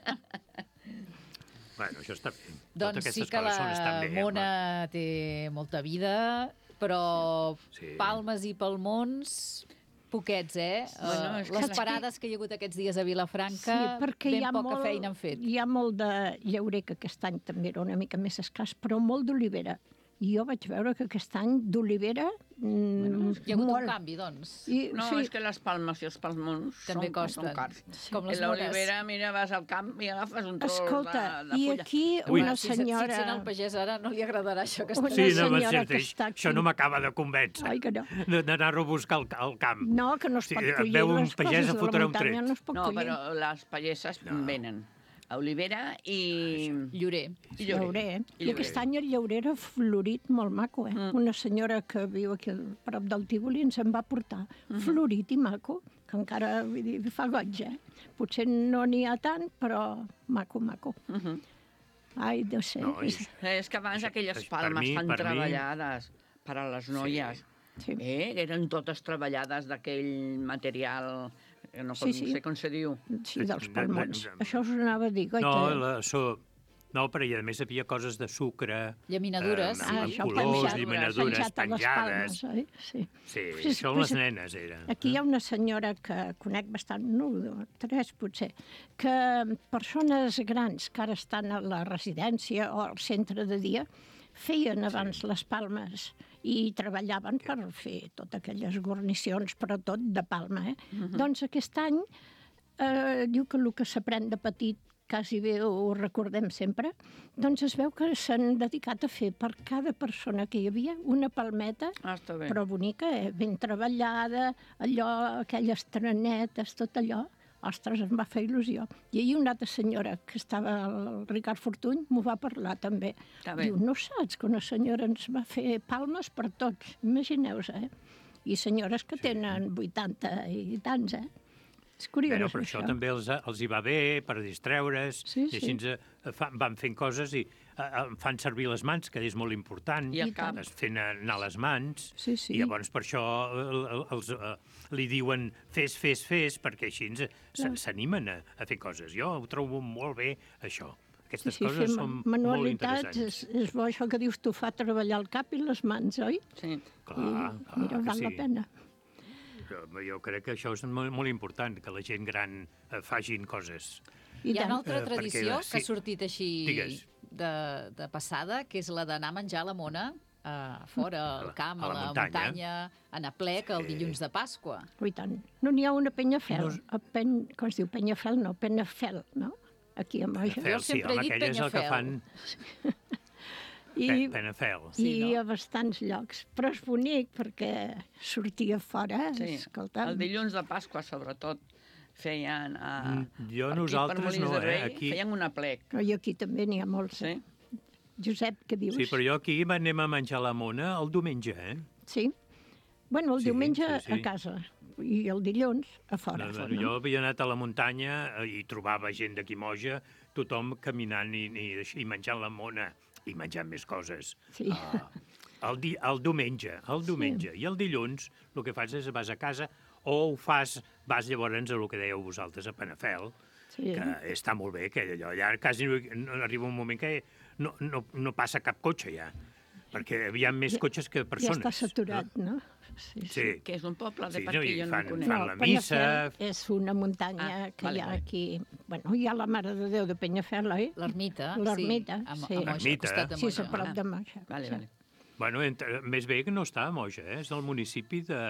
Bueno, això està bé. Totes Doncs sí aquestes que coses són- la estan bé, mona té molta vida, però Sí. palmes i palmons, poquets, eh? Bueno, Eh, és que Les és parades que hi ha hagut aquests dies a Vilafranca, Sí, perquè ben hi ha poca molt, feina han fet. hi ha molt de llaurer, que aquest any també era una mica més escàs, però molt d'olivera. I jo vaig veure que aquest any d'olivera... Mm, Hi ha hagut molt. un canvi, doncs. I, No, sí, és que les palmes i els palmons També són, costen. són cars. Com I les l'olivera, mira, vas al camp i agafes un tros escolta, de, de i fulla. aquí Ui. una Si, si senyora... sent el pagès ara no li agradarà això que Una està Sí, no, senyora va ser, que està aquí. això no m'acaba de convèncer. Ai, que no. De- D'anar-ho a buscar al, al camp. No, que no es Sí, pot et collir veu un les pagès, coses a de la fotrà un muntanya, tret. no es pot No, collir. però les pageses no. venen a olivera i... Llorer. i Llaurer. I I aquest any el llaurer era florit molt maco, eh? Mm. Una senyora que viu aquí al prop del Tívoli ens en va portar Mhm. florit i maco, que encara, vull dir, fa goig, eh? Potser no n'hi ha tant, però maco, maco. Uh -huh. Ai, no sé. No, i- és... És que abans Això- aquelles per palmes mi- tan per mi- treballades per a les noies, Sí. eh? eren totes treballades d'aquell material, que no, Sí, sí, sí. sé com se diu. Sí, dels De- de- palmons. de- Això us anava a dir, goita. No, la, so, no, però i a més hi havia coses de sucre, Llaminadures, eh, sí. amb Ah, això colors, penjat- llaminadures penjat a les penjades. palmes, oi? Sí. Sí, Pues- això pues les nenes eren. Aquí hi ha una senyora que conec bastant, no, dos, tres potser, que persones grans que ara estan a la residència o al centre de dia feien abans les palmes i treballaven per fer totes aquelles guarnicions, però tot de palma. Eh? Mhm. Doncs aquest any eh, diu que el que s'aprèn de petit quasi bé ho recordem sempre, doncs es veu que s'han dedicat a fer per cada persona que hi havia una palmeta, Ah, està bé. però bonica, eh? Ben treballada, allò, aquelles trenetes, tot allò. Ostres, em va fer il·lusió. I ahir una altra senyora que estava, el Ricard Fortuny, m'ho va parlar també. Diu, no saps que una senyora ens va fer palmes per tots? Imagineu-vos, eh? I senyores que tenen vuitanta i tants, eh? És curiós, Però, però això, això també els, els hi va bé per distreure's, sí, i així sí. eh, fa, van fent coses i eh, fan servir les mans, que és molt important. I el cap. Es fent anar les mans. Sí, sí. I llavors per això eh, els, eh, li diuen fes, fes, fes, perquè així s'animen a, a fer coses. Jo ho trobo molt bé, això. Aquestes sí, sí, coses són molt interessants. És, és bo això que dius tu, fa treballar el cap i les mans, oi? Sí. Clar, I, clar mira, val sí. la pena. Jo, jo crec que això és molt, molt important, que la gent gran eh, facin coses. I Hi ha una altra Eh, tradició perquè, que ha sí. sortit així Digues. de, de passada, que és la d'anar a menjar la mona a fora, al camp, A a la la muntanya. muntanya, a Naplec, el dilluns de Pasqua. I tant. No n'hi ha una Penyafel, No no... a pen... com es diu, Penyafel, no, Penafel, no? Aquí a Moja. Penafel, sí, home, aquell és el que fan... I, Pe- Penafel. I sí, no? A bastants llocs. Però és bonic perquè sortia fora, Sí, escolta. el dilluns de Pasqua, sobretot, feien... Uh, Jo, nosaltres no, eh? Aquí... Feien una plec. Però i aquí també n'hi ha molts. Sí? Josep, què dius? Sí, però jo aquí anem a menjar la mona el diumenge, eh? Sí? Bueno, el Sí, diumenge sí, sí. a casa i el dilluns a fora. No, no, jo havia anat a la muntanya i trobava gent d'aquí Moja, tothom caminant i, i, i menjant la mona i menjant més coses. Sí. Uh, el, di, el diumenge, el diumenge. Sí. I el dilluns el que fas és vas a casa o ho fas, vas llavors a el que dèieu vosaltres, a Penafel, sí. que està molt bé, que allò, ja quasi no, arriba un moment que no, no, no passa cap cotxe ja, perquè hi ha més ja, cotxes que persones. Ja està saturat, no? no? Sí, sí. Que és un poble de Sí, per aquí, no, jo fan, no conec. fan la missa... Penyafel és una muntanya Ah, que vale, hi ha vale. aquí... Bueno, hi ha la Mare de Déu de Penyafel, oi? L'ermita, L'ermita, sí. A, sí. a Moja, al costat de Sí, Moja. és a prop de Moja. Vale, sí. vale. Bueno, entre, més bé que no està a Moja, eh? És del municipi de,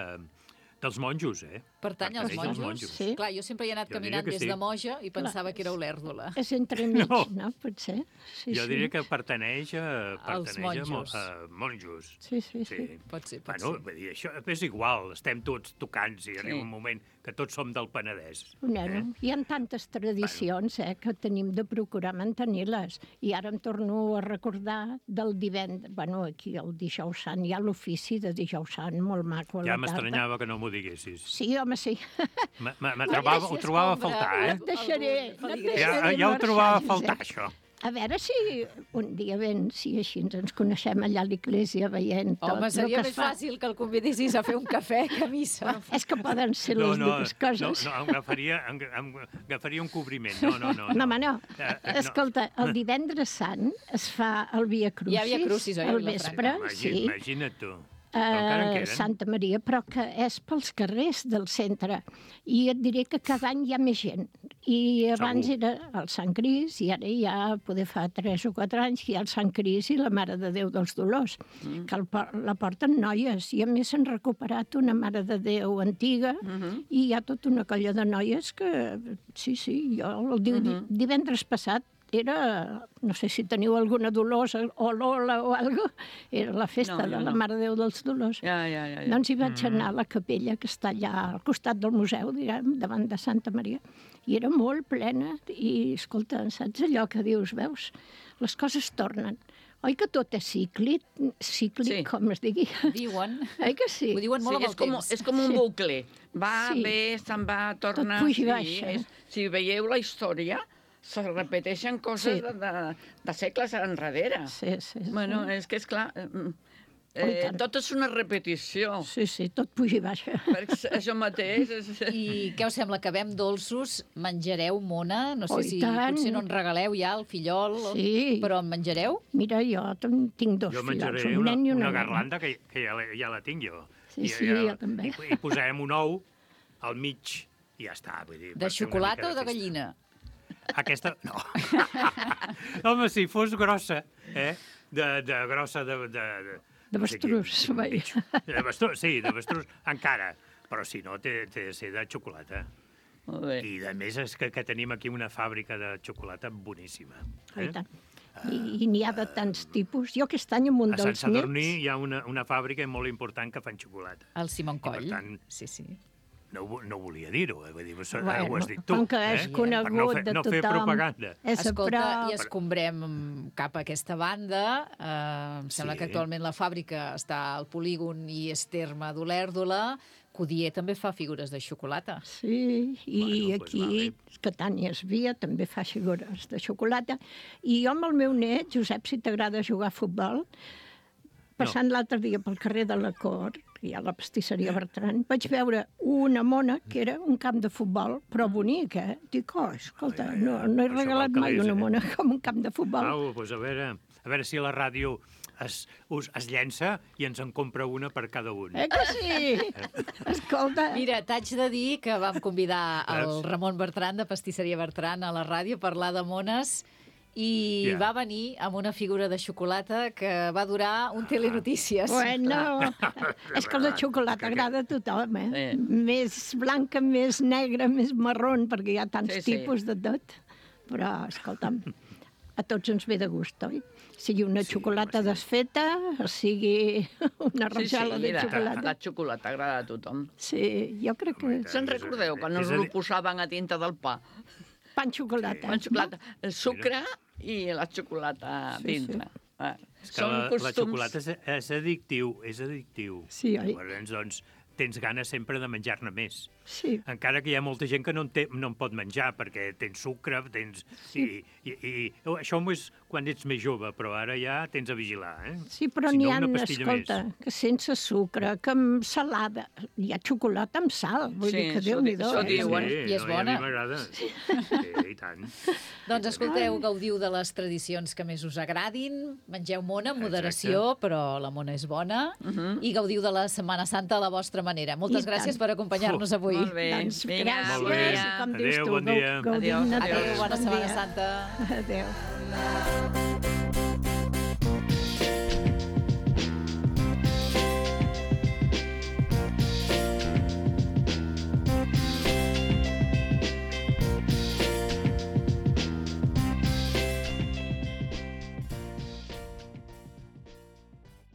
dels monjos, eh? Pertany als Pertany als monjos? monjos. Sí. Clar, jo sempre he anat Jo caminant diria que des sí. de Moja i pensava que era Olèrdola. És entremig, No. no? Potser. Sí, Jo sí. diria que pertaneix a, Als pertaneix a, mo- monjos. a monjos. Sí, sí, sí. Pot ser, pot Bueno, ser. vull dir, això és igual, estem tots tocants i arriba Sí. un moment que tots som del Penedès. Bueno, hi ha tantes tradicions eh, que tenim de procurar mantenir-les. I ara em torno a recordar del divendres... Bueno, aquí el dijous sant, hi ha l'ofici de dijous sant, molt maco a Ja la tarda. m'estranyava que no m'ho diguessis. Sí, home, sí. Me, me, me trobava, ho trobava a faltar, No eh? et deixaré, no et Ja, deixaré ja ho trobava a marxar, faltar, Josep. això. A veure si un dia vens, si així ens coneixem allà a l'església veient tot Home, el seria que més es fa. fàcil que el convidessis a fer un cafè que a missa. És que poden ser No, les no, dues no, coses. no, em agafaria, em, em agafaria un cobriment. No, no, no. No, home, no. Eh, eh, Escolta, el divendres sant es fa el Via Crucis. Hi ha Via Crucis, oi, a al Vilafranca? vespre, Imagina, sí. Imagina't tu. Però encara en a queden. Santa Maria, però que és pels carrers del centre. I et diré que cada any hi ha més gent. I abans Segur. era el Sant Cris, i ara ja, poder fa tres o quatre anys, hi ha el Sant Cris i la Mare de Déu dels Dolors, mm. que el, por- la porten noies. I a més s'han recuperat una Mare de Déu antiga, mm -hmm. i hi ha tota una colla de noies que, sí, sí, jo el diu, mm -hmm. divendres passat era, no sé si teniu alguna Dolors o Lola o alguna cosa, era la festa No, jo de la no. Mare de Déu dels Dolors. Ja, ja, ja. ja. Doncs hi vaig anar a la capella que està allà al costat del museu, diguem, davant de Santa Maria, i era molt plena, i escolta, saps allò que dius, veus, les coses tornen. Oi que tot és cíclic, cíclic, Sí. com es digui? Diuen. Oi que sí? Ho diuen molt Sí, amb és, el com, temps. és com un Sí. bucle. Va, Sí. ve, se'n va, torna... Tot puja i sí, baixa. és, si veieu la història, se repeteixen coses Sí. de, de, de segles enrere. Sí, sí. sí. Bueno, és que, és clar, eh, Oh, i eh, tant. tot és una repetició. Sí, sí, tot puja i baixa. Perquè això mateix... És... I què us sembla? Acabem dolços? Menjareu mona? No sé Oh, i si tant. potser no en regaleu ja al fillol, Sí. però en menjareu? Mira, jo ten- tinc dos Jo fillols, menjaré un una, nen i una, una nena. garlanda que, que ja, la, ja la tinc jo. Sí, sí, jo també. I, I posarem un ou al mig i ja està. Vull dir, De per fer una xocolata mica o de festa. gallina? Aquesta, no. Home, si fos grossa, eh? De, de grossa de... De, de, De no sé què, avestruz, vaja. De avestruz, sí, d'avestruz encara. Però si no, té, té de ser de xocolata. Molt bé. I a més és que, que tenim aquí una fàbrica de xocolata boníssima. Oh, i tant. I, i n'hi ha de tants tipus. Jo aquest any amb un A Sant dels Sadurní nets... hi ha una, una fàbrica molt important que fan xocolata. El Simon I per Coll. tant- Sí, sí. no, no volia dir-ho, eh? Vull dir, bueno, Bueno, ho has dit tu. com que és eh? conegut Per no fer, de no fer tothom. propaganda. És a Escolta, prop. i escombrem cap a aquesta banda. Eh, em sembla Sí. que actualment la fàbrica està al polígon i és terme d'Olèrdola. Codier també fa figures de xocolata. Sí, i Bueno, pues aquí, Catània Esvia també fa figures de xocolata. I jo amb el meu net, Josep, si t'agrada jugar a futbol, passant no. l'altre dia pel carrer de la Cort, que hi ha la pastisseria Bertran, vaig veure una mona que era un camp de futbol, però bonic, eh? Dic, oh, escolta, Ai, ai, ai, no, no he això regalat val mai calés, una eh? mona com un camp de futbol. Au, doncs a veure, a veure si la ràdio es, us, es llença i ens en compra una per cada un. Eh que sí? Escolta. Mira, t'haig de dir que vam convidar el Veus? Ramon Bertran, de Pastisseria Bertran, a la ràdio a parlar de mones i Ja. va venir amb una figura de xocolata que va durar un telenotícies. Bueno, és que la xocolata agrada a tothom, eh? Sí. Més blanca, més negra, més marrón, perquè hi ha tants Sí, sí. tipus de tot. Però, escolta'm, a tots ens ve de gust, oi? Sigui una Sí, xocolata home, sí. desfeta, sigui una Sí, sí, rajola de mira, xocolata. la xocolata agrada a tothom. Sí, jo crec que Home, i és Se'n És a- recordeu quan és us a ho dir- posaven a dintre del pa? pan xocolata. Pan xocolata, el sucre i la xocolata Sí, dintre. Ah, És que són la, la costums. xocolata és, és addictiu, és addictiu. Sí, oi? Llavors, doncs, tens ganes sempre de menjar-ne més. Sí. Encara que hi ha molta gent que no en, té, no en pot menjar, perquè tens sucre, tens... Sí. I, i, i, això és quan ets més jove, però ara ja tens a vigilar, eh? Sí, però Si n'hi no, ha, una pastilla escolta, més. que sense sucre, que amb salada. Hi ha xocolata amb sal, vull Sí, dir que això Déu-n'hi-do. di- això eh? diuen. Sí, I és no, bona. I a mi m'agrada. Sí, i tant. Doncs escolteu, gaudiu de les tradicions que més us agradin, mengeu mona amb moderació, però la mona és bona, Uh -huh. i gaudiu de la Setmana Santa a la vostra manera. Moltes I gràcies tant. per acompanyar-nos avui. Molt bé. Doncs Vinga, gràcies, Molt bé. i com dius Adéu, tu, bon dia. gaudim Adéu, de adéu, tots. bona Bon Setmana dia. Santa. Adéu.